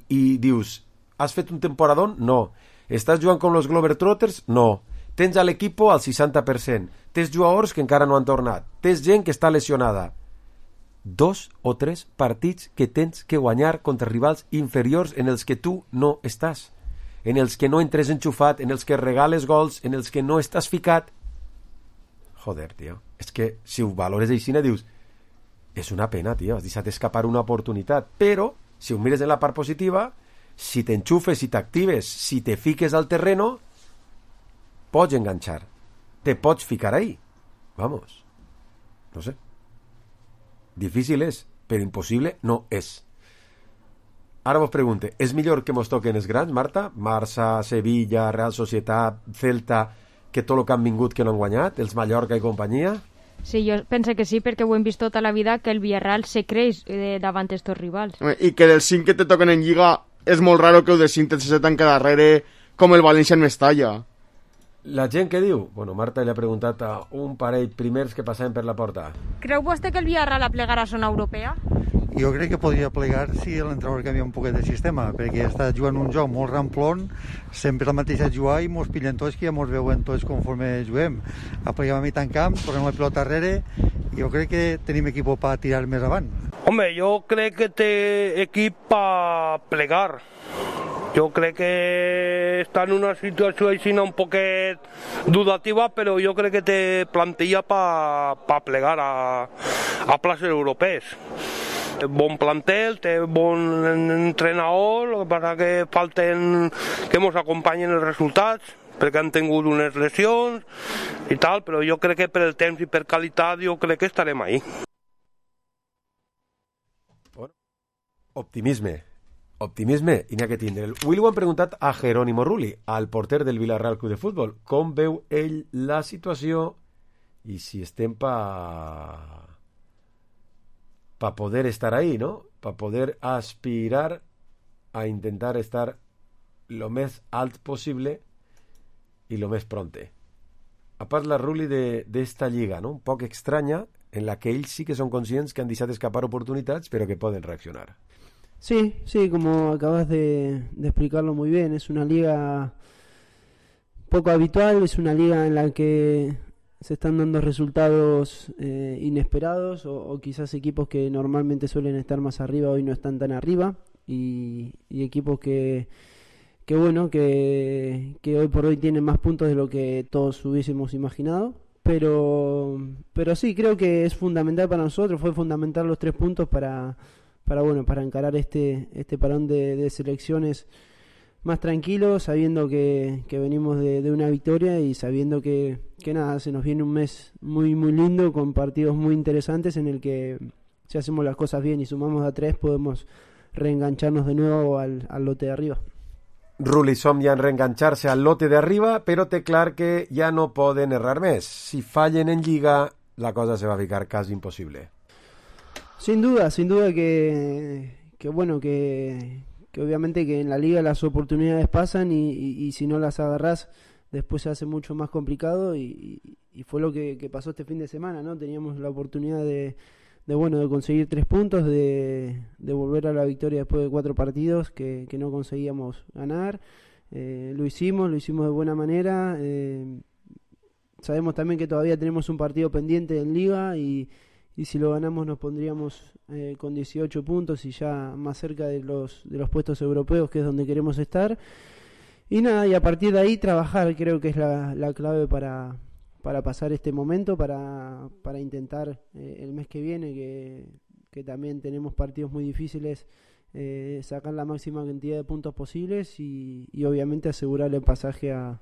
i dius, has fet un temporadón? No. Estàs jugant com los Globetrotters? No. Tens a l'equipo al 60%, tens jugadors que encara no han tornat, tens gent que està lesionada. 2 o 3 partits que tens que guanyar contra rivals inferiors en els que tu no estàs, en els que no entres enxufat, en els que regales gols, en els que no estàs ficat. Joder, tio, és que si ho valores així, dius, és una pena, tio, has deixat escapar una oportunitat, però si ho mires en la part positiva, si t'enxufes, si t'actives, si te fiques al terreno, pots enganxar, te pots ficar ahí. Vamos, no sé. Difícil és, però impossible no és. Ara vos pregunte, és millor que mos toquen els grans, Marta? Barça, Sevilla, Real Societat, Celta, que tot el que han vingut que no han guanyat, els Mallorca i companyia? Sí, jo penso que sí, perquè ho hem vist tota la vida, que el Villarreal se creix davant estos rivals. I que dels 5 que te toquen en Lliga és molt raro que dels 5 te se tanqui darrere com el València en Mestalla. La gent què diu? Bueno, Marta li ha preguntat a un parell primers que passaven per la porta. Creu vostè que el Villarreal plegarà a zona europea? Jo crec que podria plegar si l'entrenador canvia un poquet de sistema, perquè està jugant un joc molt ramplón, sempre el mateix a jugar i mos pillen tots, que ja mos veuen tots conforme juguem. Apleguem a mitjan camp, tornem la pilota darrere, i jo crec que tenim equip per tirar més avant. Home, jo crec que té equip per plegar. Jo crec que està en una situació així un poquet dudativa, però jo crec que té plantilla per plegar a places europees. Bon plantel, té bon entrenador, el que passa que falten que ens acompanyen els resultats, perquè han tingut unes lesions i tal, però jo crec que per el temps i per qualitat jo crec que estarem ahí. Optimisme, i n'hi ha que tindre. Avui ho han preguntat a Jerónimo Rulli, al porter del Villarreal Club de Futbol, com veu ell la situació i si estem pa poder estar ahí, ¿no? Para poder aspirar a intentar estar lo més alt possible i lo més pronte. A parla Rulli d'esta lliga, ¿no? Un poc estranya, en la que ells sí que són conscients que han deixat escapar oportunitats, però que poden reaccionar. Sí, como acabas de explicarlo muy bien, es una liga poco habitual, es una liga en la que se están dando resultados inesperados o quizás equipos que normalmente suelen estar más arriba hoy no están tan arriba y equipos que hoy por hoy tienen más puntos de lo que todos hubiésemos imaginado, pero sí, creo que es fundamental para nosotros, fue fundamental los 3 puntos para encarar este parón de selecciones más tranquilos, sabiendo que venimos de una victoria y sabiendo que nada, se nos viene un mes muy muy lindo con partidos muy interesantes en el que si hacemos las cosas bien y sumamos a 3 podemos reengancharnos de nuevo al lote de arriba. Rulli somia en reenganxar-se al lote de arriba, però té clar que ja no poden errar més. Si fallen en Lliga, la cosa se va a ficar quasi imposible. Sin duda que obviamente que en la liga las oportunidades pasan y si no las agarrás después se hace mucho más complicado y fue lo que pasó este fin de semana, ¿no? Teníamos la oportunidad de conseguir 3 puntos, de volver a la victoria después de 4 partidos que no conseguíamos ganar. Lo hicimos de buena manera. Sabemos también que todavía tenemos un partido pendiente en liga y si lo ganamos nos pondríamos con 18 puntos y ya más cerca de los puestos europeos, que es donde queremos estar. Y nada, y a partir de ahí trabajar, creo que es la clave para pasar este momento, para intentar el mes que viene, que también tenemos partidos muy difíciles, sacar la máxima cantidad de puntos posibles y obviamente asegurar el pasaje a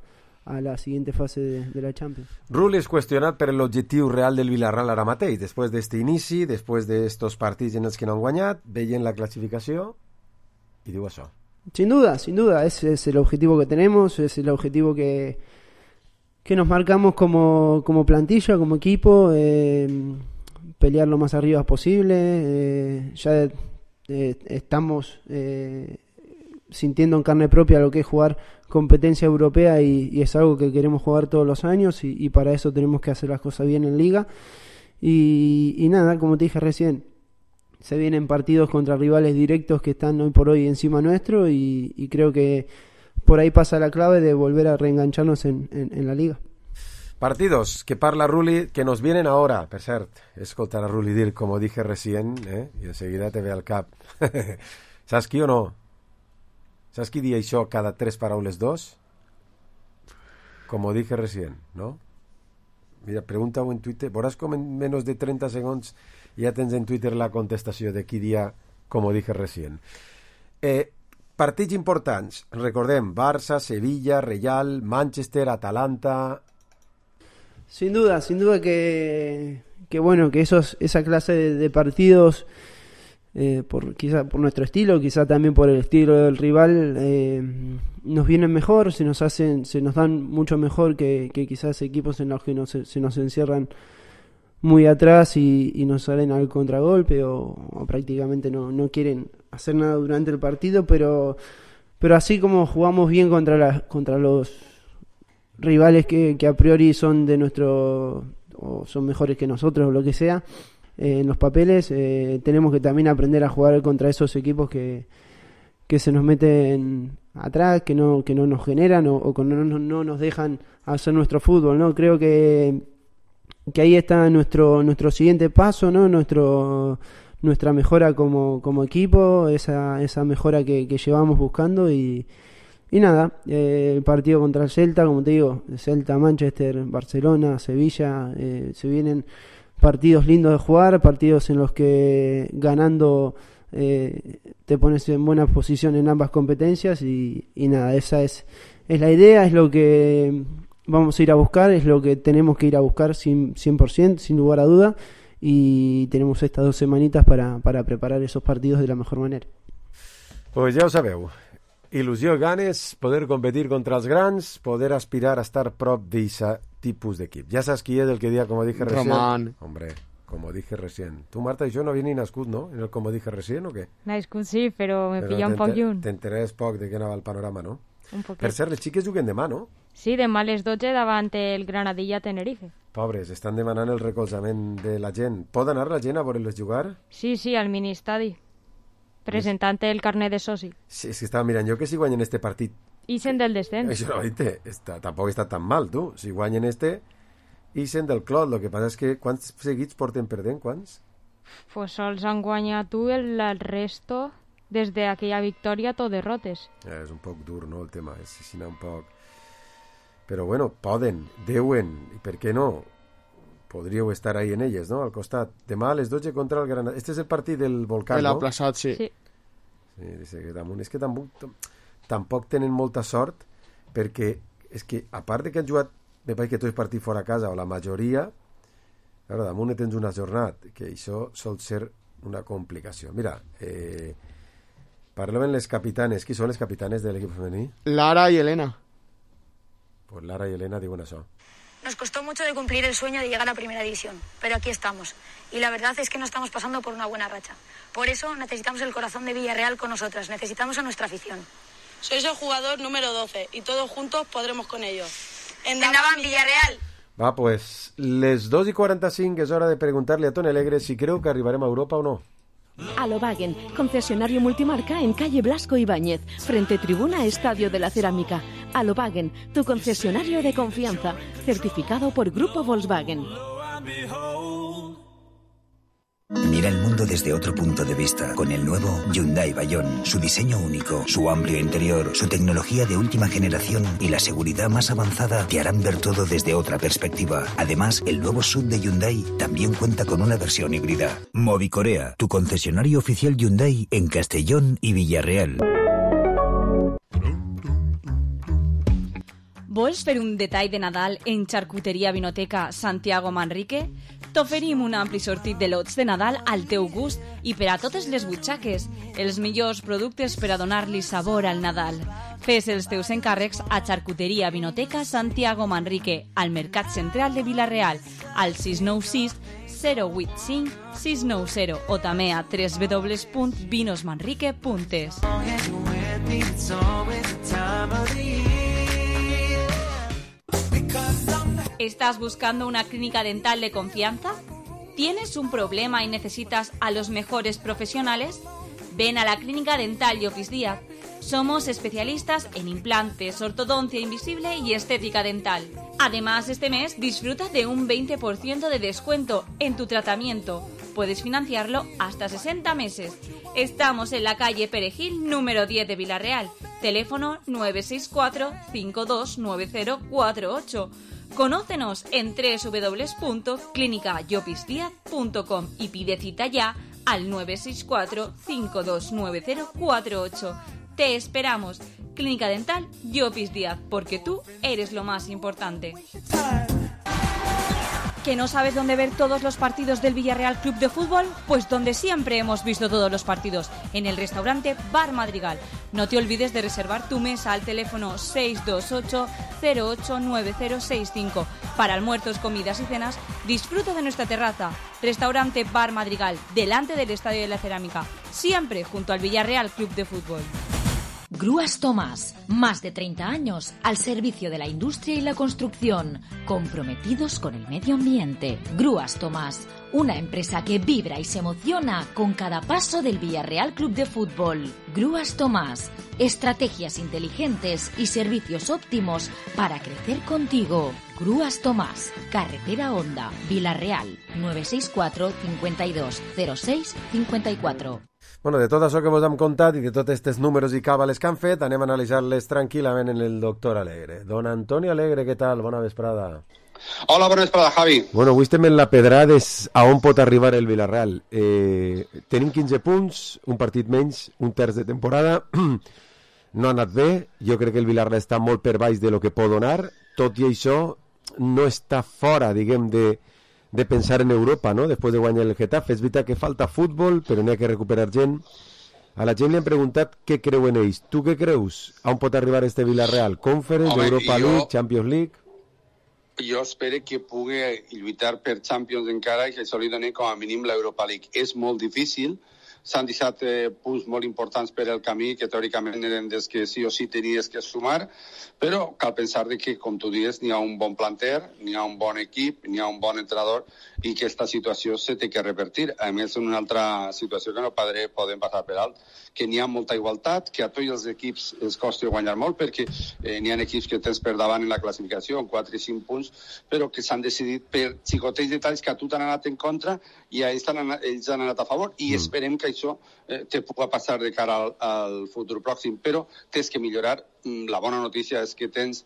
la siguiente fase de la Champions. Rulli és qüestionat per l'objectiu real del Villarreal ara mateix, després d'este inici, després d'estos partits en els que no han guanyat, veient la clasificació, i diu això. Sin duda, ese es el objetivo que tenemos, es el objetivo que nos marcamos como plantilla, como equipo, pelear lo más arriba posible, ya estamos sintiendo en carne propia lo que es jugar competencia europea y es algo que queremos jugar todos los años y para eso tenemos que hacer las cosas bien en liga y nada, como te dije recién, se vienen partidos contra rivales directos que están hoy por hoy encima nuestro y creo que por ahí pasa la clave de volver a reengancharnos en la liga. Partidos que parla Rulli que nos vienen ahora, per cert, escoltar a Rulli dir, como dije recién, y enseguida te ve al cap. Saps qui o no? Saps qui di això cada 3 paraules 2? Como dije recién, ¿no? Mira, pregunta-ho en Twitter. Veuràs com en menys de 30 segons ja tens en Twitter la contestació de qui dia como dije recién. Partits importants. Recordem, Barça, Sevilla, Real, Manchester, Atalanta... Sin duda que esa clase de partidos, quizá por nuestro estilo, quizá también por el estilo del rival, nos vienen mejor, se nos dan mucho mejor que quizás equipos en los que se nos encierran muy atrás y nos salen al contragolpe o prácticamente no quieren hacer nada durante el partido, pero así como jugamos bien contra los rivales que a priori son de nuestro o son mejores que nosotros o lo que sea en los papeles, tenemos que también aprender a jugar contra esos equipos que se nos meten atrás, que no nos generan o que no nos dejan hacer nuestro fútbol, ¿no? Creo que ahí está nuestro siguiente paso, ¿no? Nuestra mejora como equipo, esa mejora que llevamos buscando y nada, el partido contra el Celta, como te digo, Celta, Manchester, Barcelona, Sevilla, se vienen partidos lindos de jugar, partidos en los que ganando te pones en buena posición en ambas competencias y nada, esa es la idea, es lo que vamos a ir a buscar, es lo que tenemos que ir a buscar 100%, sin lugar a duda, y tenemos estas 2 semanitas para preparar esos partidos de la mejor manera. Pues ja ho sabeu, il·lusió i ganes, poder competir contra els grans, poder aspirar a estar prop d'aquest tipus d'equip. Ja saps qui és el que dia, como dije recién. Román. Hombre, como dije recién. Tu, Marta, i jo no havia ni nascut, no? En el como dije recién, o què? Nascut sí, però me pilla un poc lluny. T'enteres poc de què anava el panorama, no? Un poquet. Per cert, les xiques juguen demà, no? Sí, demà a les 12 davant el Granadilla Tenerife. Pobres, estan demanant el recolzament de la gent. Pot anar la gent a veure-les jugar? Sí, al mini-estadi, presentant el carnet de soci. Sí, és que estava mirant jo que si guanyen este partit... Ixen del descens. Això no, tampoc està tan mal, tu. Si guanyen ixen del clot. Lo que passa és que quants seguits porten perdent, quants? Pues sols han guanyat tu, el resto, des d'aquella victòria, tot derrotes. És un poc dur, no, el tema. És així un poc... Però bueno, poden, deuen, i per què no? Podríeu estar ahí en elles, no? Al costat. Demà a les 12 contra el Granada. Este és el partit del Volcán, el no? aplaçat, sí. Sí, dice que damunt. És que tampoc tenen molta sort, perquè és que, a part de que han jugat, me pareix que tots els partits fora a casa, o la majoria, claro, damunt tens una jornada, que això sol ser una complicació. Mira, parlem les capitanes. Qui són les capitanes de l'equip femení? Lara y Elena. Pues Lara y Elena diuen això. Nos costó mucho de cumplir el sueño de llegar a Primera División, pero aquí estamos. Y la verdad es que no estamos pasando por una buena racha. Por eso necesitamos el corazón de Villarreal con nosotras, necesitamos a nuestra afición. Sois el jugador número 12 y todos juntos podremos con ellos. ¡Endavant, Villarreal! Va, pues, les 2:45 és hora de preguntar-li a Toni Alegre si creu que arribarem a Europa o no. Alobagen, concesionario multimarca en calle Blasco Ibáñez, frente tribuna Estadio de la Cerámica. Alobagen, tu concesionario de confianza, certificado por Grupo Volkswagen. Mira el mundo desde otro punto de vista con el nuevo Hyundai Bayon. Su diseño único, su amplio interior, su tecnología de última generación y la seguridad más avanzada te harán ver todo desde otra perspectiva. Además, el nuevo SUV de Hyundai también cuenta con una versión híbrida. Movicorea, tu concesionario oficial Hyundai en Castellón y Villarreal. Vols fer un detall de Nadal en Charcuteria Vinoteca Santiago Manrique? T'oferim un ampli sortit de lots de Nadal al teu gust i per a totes les butxaques, els millors productes per a donar-li sabor al Nadal. Fes els teus encàrrecs a Charcuteria Vinoteca Santiago Manrique, al Mercat Central de Vila-real, al 696 085 690 o també a www.vinosmanrique.es. ¿Estás buscando una clínica dental de confianza? ¿Tienes un problema y necesitas a los mejores profesionales? Ven a la Clínica Dental Llopis Díaz. Somos especialistas en implantes, ortodoncia invisible y estética dental. Además, este mes disfruta de un 20% de descuento en tu tratamiento. Puedes financiarlo hasta 60 meses. Estamos en la calle Perejil, número 10 de Vila-real. Teléfono 964 529048. Conócenos en www.clinicayopisdiaz.com y pide cita ya al 964 529048. Te esperamos. Clínica Dental Llopis Díaz, porque tú eres lo más importante. ¿Que no sabes dónde ver todos los partidos del Villarreal Club de Fútbol? Pues donde siempre hemos visto todos los partidos, en el restaurante Bar Madrigal. No te olvides de reservar tu mesa al teléfono 628-089065. Para almuerzos, comidas y cenas, disfruta de nuestra terraza. Restaurante Bar Madrigal, delante del Estadio de la Cerámica, siempre junto al Villarreal Club de Fútbol. Grúas Tomás, más de 30 años al servicio de la industria y la construcción, comprometidos con el medio ambiente. Grúas Tomás, una empresa que vibra y se emociona con cada paso del Villarreal Club de Fútbol. Grúas Tomás, estrategias inteligentes y servicios óptimos para crecer contigo. Grúas Tomás, Carretera Honda, Villarreal, 964 52 06 54. Bueno, de tot això que vos hem contat i de tots aquests números i càbales que han fet, anem a analitzar-les tranquil·lament en el doctor Alegre. Don Antonio Alegre, què tal? Bona vesprada. Hola, bona vesprada, Javi. Bueno, avui estem en la pedrada a on pot arribar el Villarreal. Tenim 15 punts, un partit menys, un terç de temporada. No ha anat bé. Jo crec que el Villarreal està molt per baix de lo que pot donar. Tot i això, no està fora, diguem, de pensar en Europa, ¿no? Después de guanyar el Getafe. És veritat que falta futbol, però n'hi ha que recuperar gent. A la gent li han preguntat què creuen ells. Tu què creus? A on pot arribar este Villarreal? Conference, Europa League, Champions League? Jo espero que pugui lluitar per Champions encara i que això li doni com a mínim l'Europa League. És molt difícil. S'han deixat punts molt importants per el camí que teòricament eren des que sí o sí tenies que sumar, però cal pensar que, com tu dius, n'hi ha un bon planter, n'hi ha un bon equip, n'hi ha un bon entrenador i que aquesta situació se té que revertir. A més, en una altra situació que no podem passar per alt, que n'hi ha molta igualtat, que a tots els equips els costi guanyar molt, perquè n'hi ha equips que tens per davant en la classificació, amb 4 i 5 punts, però que s'han decidit per xicotets detalls que a tu t'han anat en contra i a ells han anat a favor, i esperem que això te pugui passar de cara al futur pròxim, però tens que millorar. La bona notícia és que tens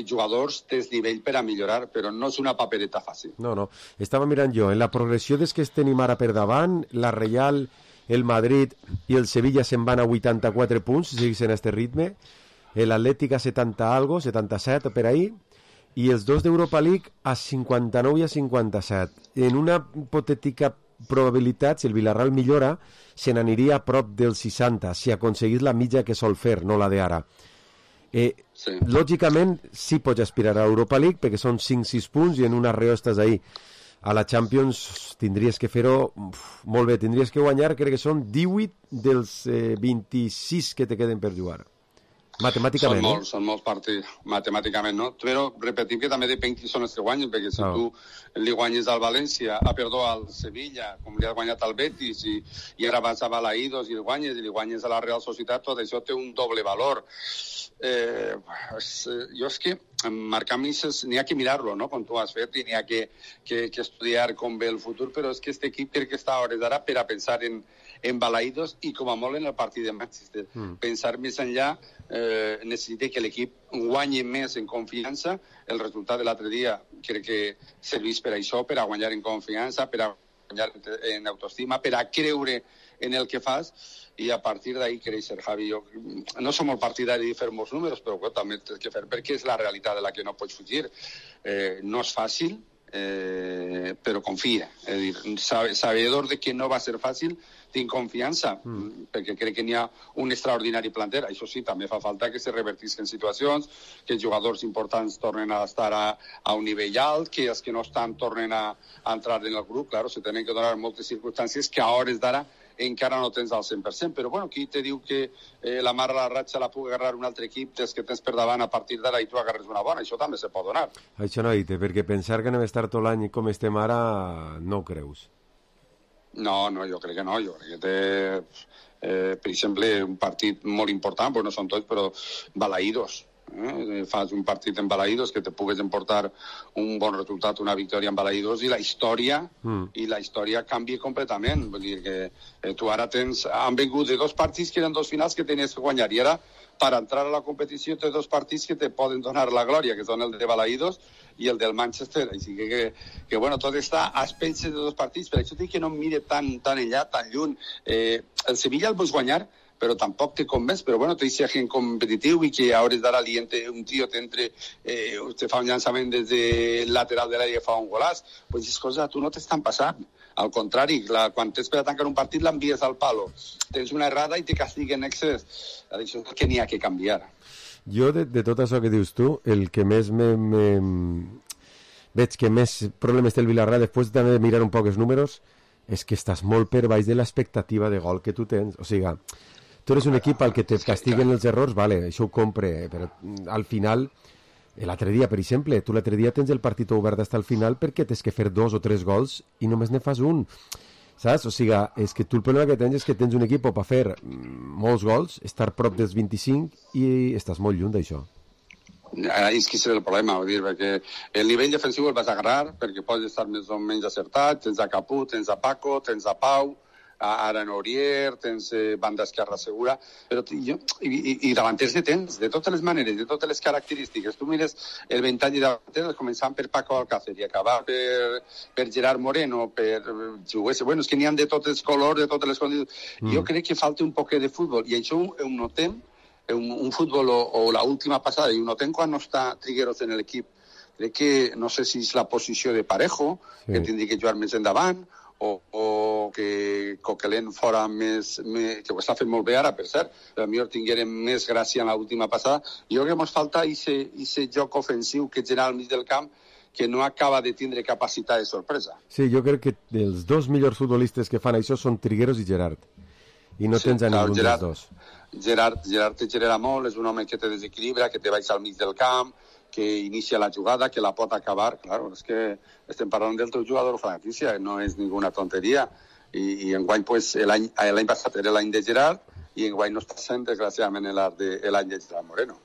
jugadors, tens nivell per a millorar, però no és una papereta fàcil. No, estava mirant jo, en la progressió des que tenim ara per davant, la Real, el Madrid i el Sevilla se'n van a 84 punts, si segueixen a este ritme, l'Atlètic a 70 algo, 77 per ahí, i els dos d'Europa League a 59 i a 57. En una hipotètica probabilitat, si el Villarreal millora, se n'aniria a prop del 60, si aconseguís la mitja que sol fer, no la d'ara. Sí. Lògicament, sí pots aspirar a Europa League, perquè són 5-6 punts i en una arreo estàs ahí. A la Champions tindries que fer-ho molt bé, tindries que guanyar, crec que són 18 dels 26 que te queden per jugar. Matemàticament, són molts partits, matemàticament, no? Però repetim que també depèn qui són els que guanyen, perquè si tu li guanyes al València, al Sevilla, com li has guanyat al Betis, i ara vas a Balaïdos i li guanyes a la Real Societat, tot això té un doble valor. Jo és que marcar misses n'hi ha que mirar-lo, no?, com tu has fet, i n'hi ha que estudiar com ve el futur, però és que aquest equip crec que està a hores d'ara per a pensar en Balaïdos i com a molt en el partit de Manchester. Pensar més enllà, necessita que l'equip guanyi més en confiança. El resultat de l'altre dia crec que serveix per això, per a guanyar en confiança, per a guanyar en autoestima, per a creure en el que fas, i a partir d'ahí créixer, Javi. Jo no som molt partidari de fer molts números, però també tens que fer, perquè és la realitat de la que no pots fugir. No és fàcil, però confia. És a dir, sabedor de que no va ser fàcil, tinc confiança, perquè crec que n'hi ha un extraordinari planter. Això sí, també fa falta que se revertisquen situacions, que els jugadors importants tornen a estar a un nivell alt, que els que no estan tornen a entrar en el grup. Claro, se tenen que donar moltes circumstàncies que a hores d'ara encara no tens al 100%, però bueno, qui te diu que la mar a la ratxa la pugui agarrar un altre equip des que tens per davant a partir d'ara i tu agarres una bona? Això també se pot donar. Això no, Ite, perquè pensar que anem a estar tot l'any com estem ara no ho creus. No, jo crec que no. Jo crec que té, per exemple, un partit molt important, no són tots, però Balaïdos. Fas un partit en Balaïdos que te pugues emportar un bon resultat, una victòria en Balaïdos, i la història canvia completament. Vull dir que tu ara han vengut de 2 partits que eren 2 finals que tenies que guanyar, i ara per entrar a la competició té 2 partits que te poden donar la glòria, que són el de Balaïdos i el del Manchester. Així que bueno, tot està a expenses de 2 partits. Per això dic que no em mire tan enllà, tan lluny. El Sevilla el vols guanyar però tampoc te convenç, però bueno, t'hi gent competitiu i que a hores d'ara un tio te fa un llançament des de lateral de l'àrea i fa un golàs, pues és cosa, tu no t'estan passant. Al contrari, quan tens per a tancar un partit l'envies al palo. Tens una errada i te castiguen en excés. Això és el que n'hi ha que canviar. Jo, de tot això que dius tu, el que més veig que més problemes té el Villarreal, després també de mirar un poc els números, és que estàs molt per baix de l'expectativa de gol que tu tens. O sigui, tu eres un equip al que te castiguen els errors, vale, això ho compre, però al final, l'altre dia, per exemple, tu l'altre dia tens el partit obert fins al final perquè tens que fer 2 o 3 gols i només ne fas un. Saps? O sigui, és que tu el problema que tens és que tens un equip per fer molts gols, estar prop dels 25 i estàs molt lluny d'això. És que és el problema, vull dir, perquè el nivell defensiu el vas agarrar perquè pots estar més o menys acertat, tens a Capú, tens a Paco, tens a Pau, ara en Aurier, tens banda esquerra segura, però i davanters ne tens, de totes les maneres, de totes les característiques. Tu mires el ventall de davanters, començant per Paco Alcácer i acabar per Gerard Moreno, per jugués. Bueno, és que n'hi ha de tots els colors, de totes les condicions. Jo crec que falta un poc de futbol, i això ho notem un futbol o la última passada, i ho notem quan no està Trigueros en l'equip. Crec que, no sé si és la posició de Parejo, que tindria que jugar més endavant, o que Coquelin fora més, que ho està fent molt bé ara, per cert, però millor tinguérem més gràcia en l'última passada. Jo crec que ens falta aquest joc ofensiu que genera al mig del camp, que no acaba de tindre capacitat de sorpresa. Sí, jo crec que els dos millors futbolistes que fan això són Trigueros i Gerard. I no tens a ningú dels dos. Gerard te genera molt, és un home que te desequilibra, que te baixa al mig del camp, que inicia la jugada, que la pot acabar. Claro, és que estem parlant del teu jugador franquicia, no és ninguna tonteria. I enguany, pues, l'any passat era l'any de Gerard, i enguany no està sent, desgraciadament, l'any de Gerard Moreno.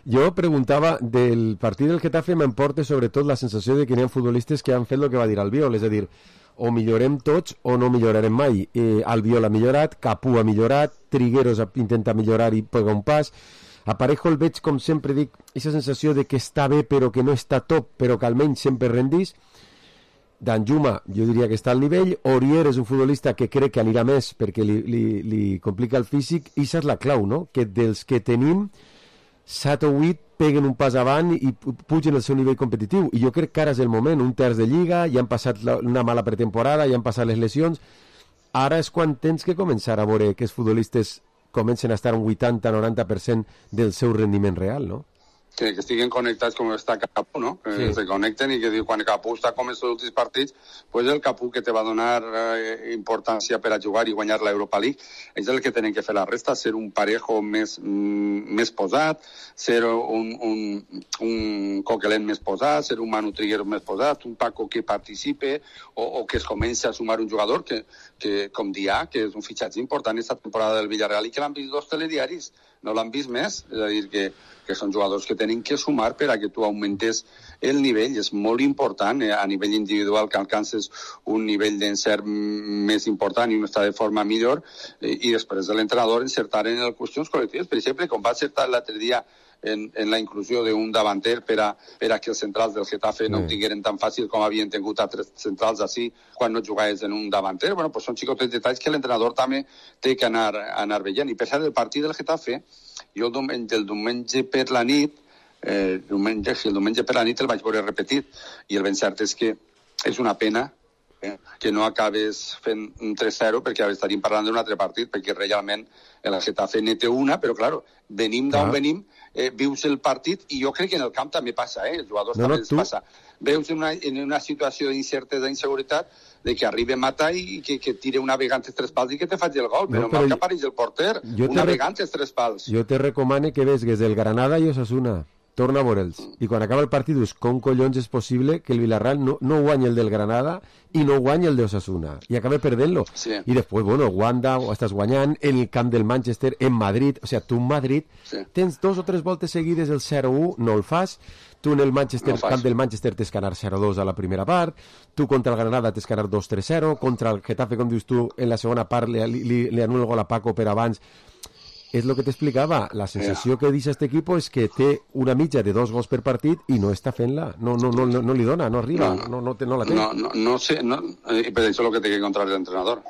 Jo preguntava, del partit del Getafe m'emporta sobretot la sensació de que n'hi ha futbolistes que han fet el que va dir Albiol, és a dir, o millorem tots o no millorarem mai. Albiol ha millorat, Capú ha millorat, Trigueros intenta millorar i pega un pas. A Parejo el veig, com sempre dic, aquesta sensació de que està bé però que no està top, però que almenys sempre rendís. Danjuma, jo diria que està al nivell. Aurier és un futbolista que crec que anirà més perquè li complica el físic, i això és la clau, no? Que dels que tenim 7 o 8 peguen un pas avant i pugen el seu nivell competitiu, i jo crec que ara és el moment, un terç de Lliga, ja han passat una mala pretemporada, ja han passat les lesions, ara és quan tens que començar a veure que els futbolistes comencen a estar un 80-90% del seu rendiment real, no? Que estiguen connectats com està Capú, no? Que se connecten, i que quan Capú està com els últims partits, pues el Capú que te va donar importància per a jugar i guanyar l'Europa League, és el que tenen que fer la resta, ser un Parejo més posat, ser un Coquelin més posat, ser un Manu Trigueros més posat, un Paco que participe, o que es comenci a sumar un jugador que com dia, que és un fitxatge important aquesta temporada del Villarreal, i que l'han vist 2 telediaris, no l'han vist més, és a dir, que són jugadors que tenen que sumar per a que tu augmentes el nivell. És molt important a nivell individual que alcances un nivell d'encert més important i un estat de forma millor, i després de l'entrenador encertar en les qüestions col·lectives. Per exemple, com va acertar l'altre dia en la inclusió d'un davanter per a que els centrals del Getafe no ho tingueren tan fàcil com havien tingut altres centrals així quan no jugaves en un davanter. Bueno, pues són xicotets detalls que l'entrenador també té que anar veient. I per cert, el partit del Getafe, jo el diumenge per la nit el diumenge per la nit el vaig veure repetit, i el ben cert és que és una pena que no acabes fent un 3-0, perquè estaríem parlant d'un altre partit, perquè realment el Getafe ne té una, però claro, venim d'on venim, vius el partit, i jo crec que en el camp també passa, els jugadors també els passa. Veus en una situació d'incertesa, d'inseguretat, de que arriba Mata i que tire una vegant els 3 pals i que te faci el gol, però mal que apareix el porter, una vegant els 3 pals. Jo te recomano que vesgues el Granada i Osasuna, torna a veure'ls, i quan acaba el partit dius, com collons és possible que el Villarreal no guanyi el del Granada i no guanyi el de Osasuna, i acaba perdent-lo, i després, bueno, Wanda ho estàs guanyant en el camp del Manchester, en Madrid, o sigui, tu en Madrid tens 2 o 3 voltes seguides el 0-1, no el fas, tu en el camp del Manchester tens que anar 0-2 a la primera part, tu contra el Granada tens que anar 2-3-0, contra el Getafe, com dius tu, en la segona part li anul·la el gol a Paco per abans. És el que t'explicava, la sensació que deixa aquest equip és que té una mitja de 2 gols per partit i no està fent-la, no li dona, no arriba, no la té. No sé, per això és el que té que encontrar l'entrenador.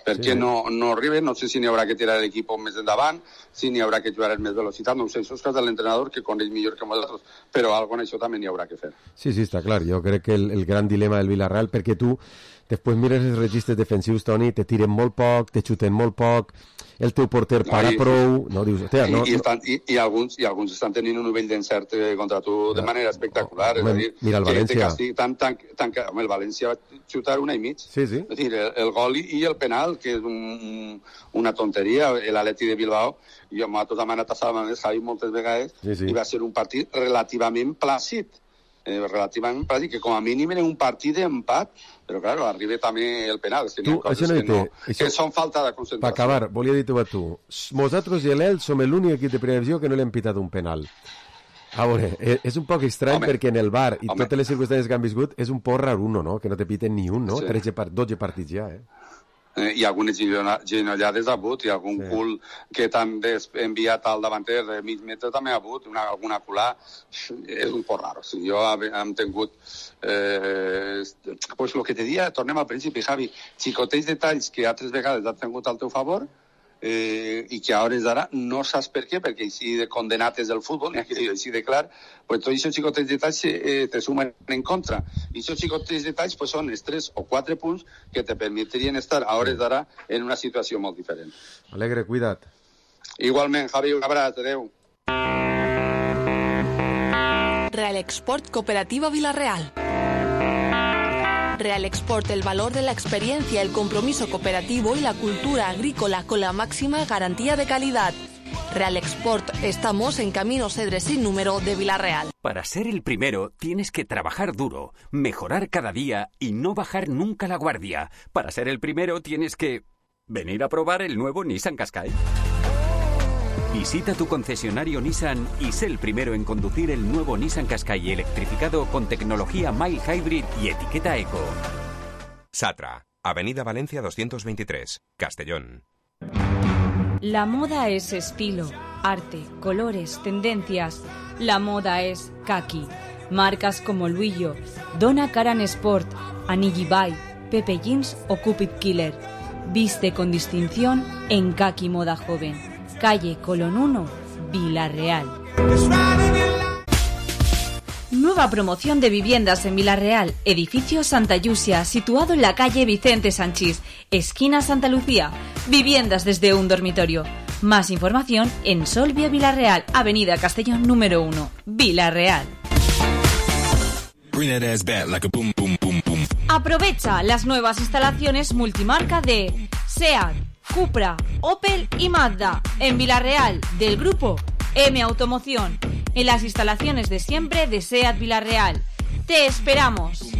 perquè no arriben, no sé si n'hi haurà que tirar l'equip més endavant, si n'hi haurà que jugar amb més velocitat, no ho sé, això és cosa de l'entrenador que coneix millor que nosaltres, però alguna cosa això també n'hi haurà que fer. Sí, està clar, jo crec que el gran dilema del Villarreal, perquè tu després mires els registres defensius, Toni, te tiren molt poc, te xuten molt poc, el teu porter para prou, no dius, hòstia, no... I alguns estan tenint un nivell d'encert contra tu de manera espectacular, és a dir, mira el València. Home, el València va xutar 1,5. Sí. És dir, el gol i el penal, que és una tonteria, l'Atleti de Bilbao, jo m'ha tot demanat a Salva més, Javi, moltes vegades, i va ser un partit relativament plàcid, que com a mínim era un partit d'empat, però clar, arriba també el penal, és que n'hi ha coses que són falta de concentració. Per acabar, volia dir-t'ho a tu, nosaltres i l'EL som l'únic equip de primera divisió que no li hem pitat un penal. A veure, és un poc estrany perquè en el VAR i totes les circumstàncies que han viscut és un poc raruno, no?, que no te piten ni un, no? 12 partits ja, i algunes genollades ha hagut, i algun cul que t'han enviat al davanter de mig metre també ha hagut, alguna culà, és un poc raro. Si jo hem tingut, pues el que te dia, tornem al principi, Javi, xicotets detalls que altres vegades has tingut al teu favor, i que a hores d'ara no saps per què, perquè així de condenat és el futbol, ni així de clar, pues tots aquests xicotets detalls te sumen en contra. I aquests xicotets detalls pues, són els 3 o 4 punts que te permetrien estar a hores d'ara en una situació molt diferent. Alegre, cuida't. Igualment, Javi, un abraç, adeu. Real Export Cooperativa Villarreal. Real Export, el valor de la experiencia, el compromiso cooperativo y la cultura agrícola con la máxima garantía de calidad. Real Export, estamos en Camino Cedres sin número de Villarreal. Para ser el primero tienes que trabajar duro, mejorar cada día y no bajar nunca la guardia. Para ser el primero tienes que venir a probar el nuevo Nissan Qashqai. Visita tu concesionario Nissan y sé el primero en conducir el nuevo Nissan Qashqai electrificado con tecnología Mild Hybrid y etiqueta Eco. Satra, Avenida Valencia 223, Castellón. La moda es estilo, arte, colores, tendencias. La moda es kaki. Marcas como Luillo, Donna Karan Sport, Anigi Bay, Pepe Jeans o Cupid Killer. Viste con distinción en Kaki Moda Joven. Calle Colón 1, Villarreal. Nueva promoción de viviendas en Villarreal. Edificio Santa Yusia, situado en la calle Vicente Sanchís, esquina Santa Lucía. Viviendas desde un dormitorio. Más información en Solvia Villarreal, Avenida Castellón número 1, Villarreal. Aprovecha las nuevas instalaciones multimarca de SEAT, Cupra, Opel y Mazda en Villarreal, del grupo M Automoción, en las instalaciones de siempre de SEAT Villarreal. ¡Te esperamos!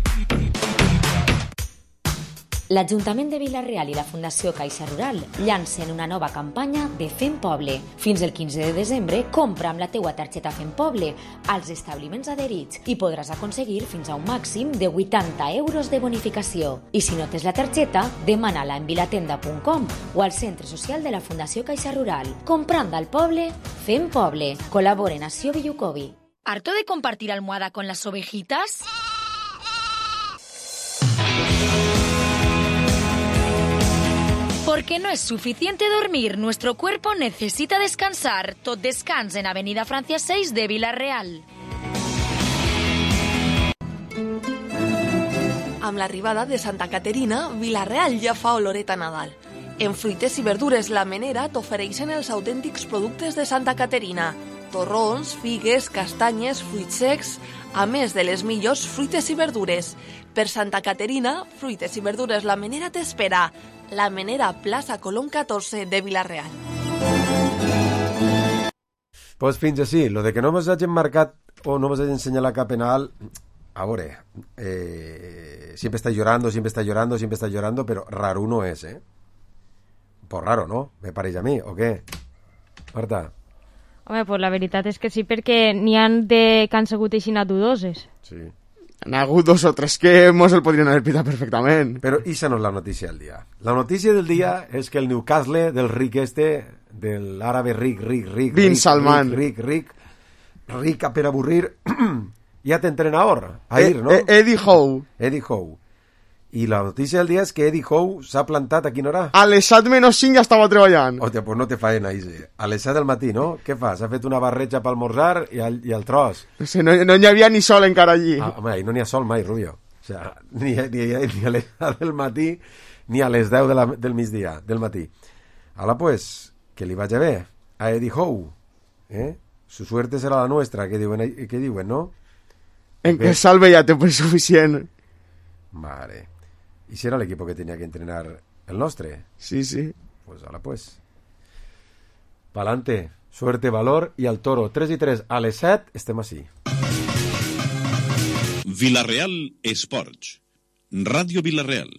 L'Ajuntament de Vila-real i la Fundació Caixa Rural llancen una nova campanya de Fem Poble. Fins el 15 de desembre, compra amb la teua targeta Fem Poble als establiments adherits i podràs aconseguir fins a un màxim de 80 euros de bonificació. I si no tens la targeta, demana-la en vilatenda.com o al centre social de la Fundació Caixa Rural. Comprant al poble, Fem Poble. Col·laboren Nació Villucovi. ¿Harto de compartir almohada con las ovejitas? Porque no es suficiente dormir, nuestro cuerpo necesita descansar. Tot descans en Avenida Francia 6 de Vila-real. Amb l'arribada de Santa Caterina, Vila-real ja fa oloreta Nadal. En fruites i verdures La Menera t'ofereixen els autèntics productes de Santa Caterina. Torrons, figues, castanyes, fruits secs, a més de les millors fruites i verdures. Per Santa Caterina, fruites i verdures La Menera t'espera. La Menera, plaça Colón 14 de Vila-real. Pues fins així, lo de que no mos hagin marcat o no mos hagin ensenyat cap penal, a veure, siempre está llorando, pero raro no es, ¿eh? Pues raro, ¿no? Me pareix a mi, o què? Marta? Home, pues la veritat és que sí, perquè n'hi han de que han sigut així dudoses. Sí. N'ha hagut 2 o 3 que mos el podrien haver pitat perfectament. Però esa no és la notícia del dia. La notícia del dia és que el Newcastle del ric del àrabe ric, Bin Salman. Ric per avorrir, ja té entrenador, Ahir, ¿no? Eddie Howe. Eddie Howe. I la notícia del dia és que Eddie Howe s'ha plantat a quina hora? A les 7:05 ja estava treballant. Hòstia, pues no te faena, Ise. A les 7 del matí, no? Què fa? S'ha fet una barreja pel morzar i el tros. No hi havia ni sol encara allí. Home, ahí no n'hi ha sol mai, Rubio. O sea, ni a les 7 del matí ni a les 10 del migdia, del matí. Ala, pues, que li vagi bé a Eddie Howe. Su suerte serà la nuestra, que diuen, no? En que salve ya te fue suficient. Vale. ¿Y si era el equipo que tenía que entrenar el nostre? Sí, sí. Pues ahora pues. Pa'lante, suerte, valor y al toro. 3-3 a les 7 estem així. Vila-real Esports. Ràdio Vila-real.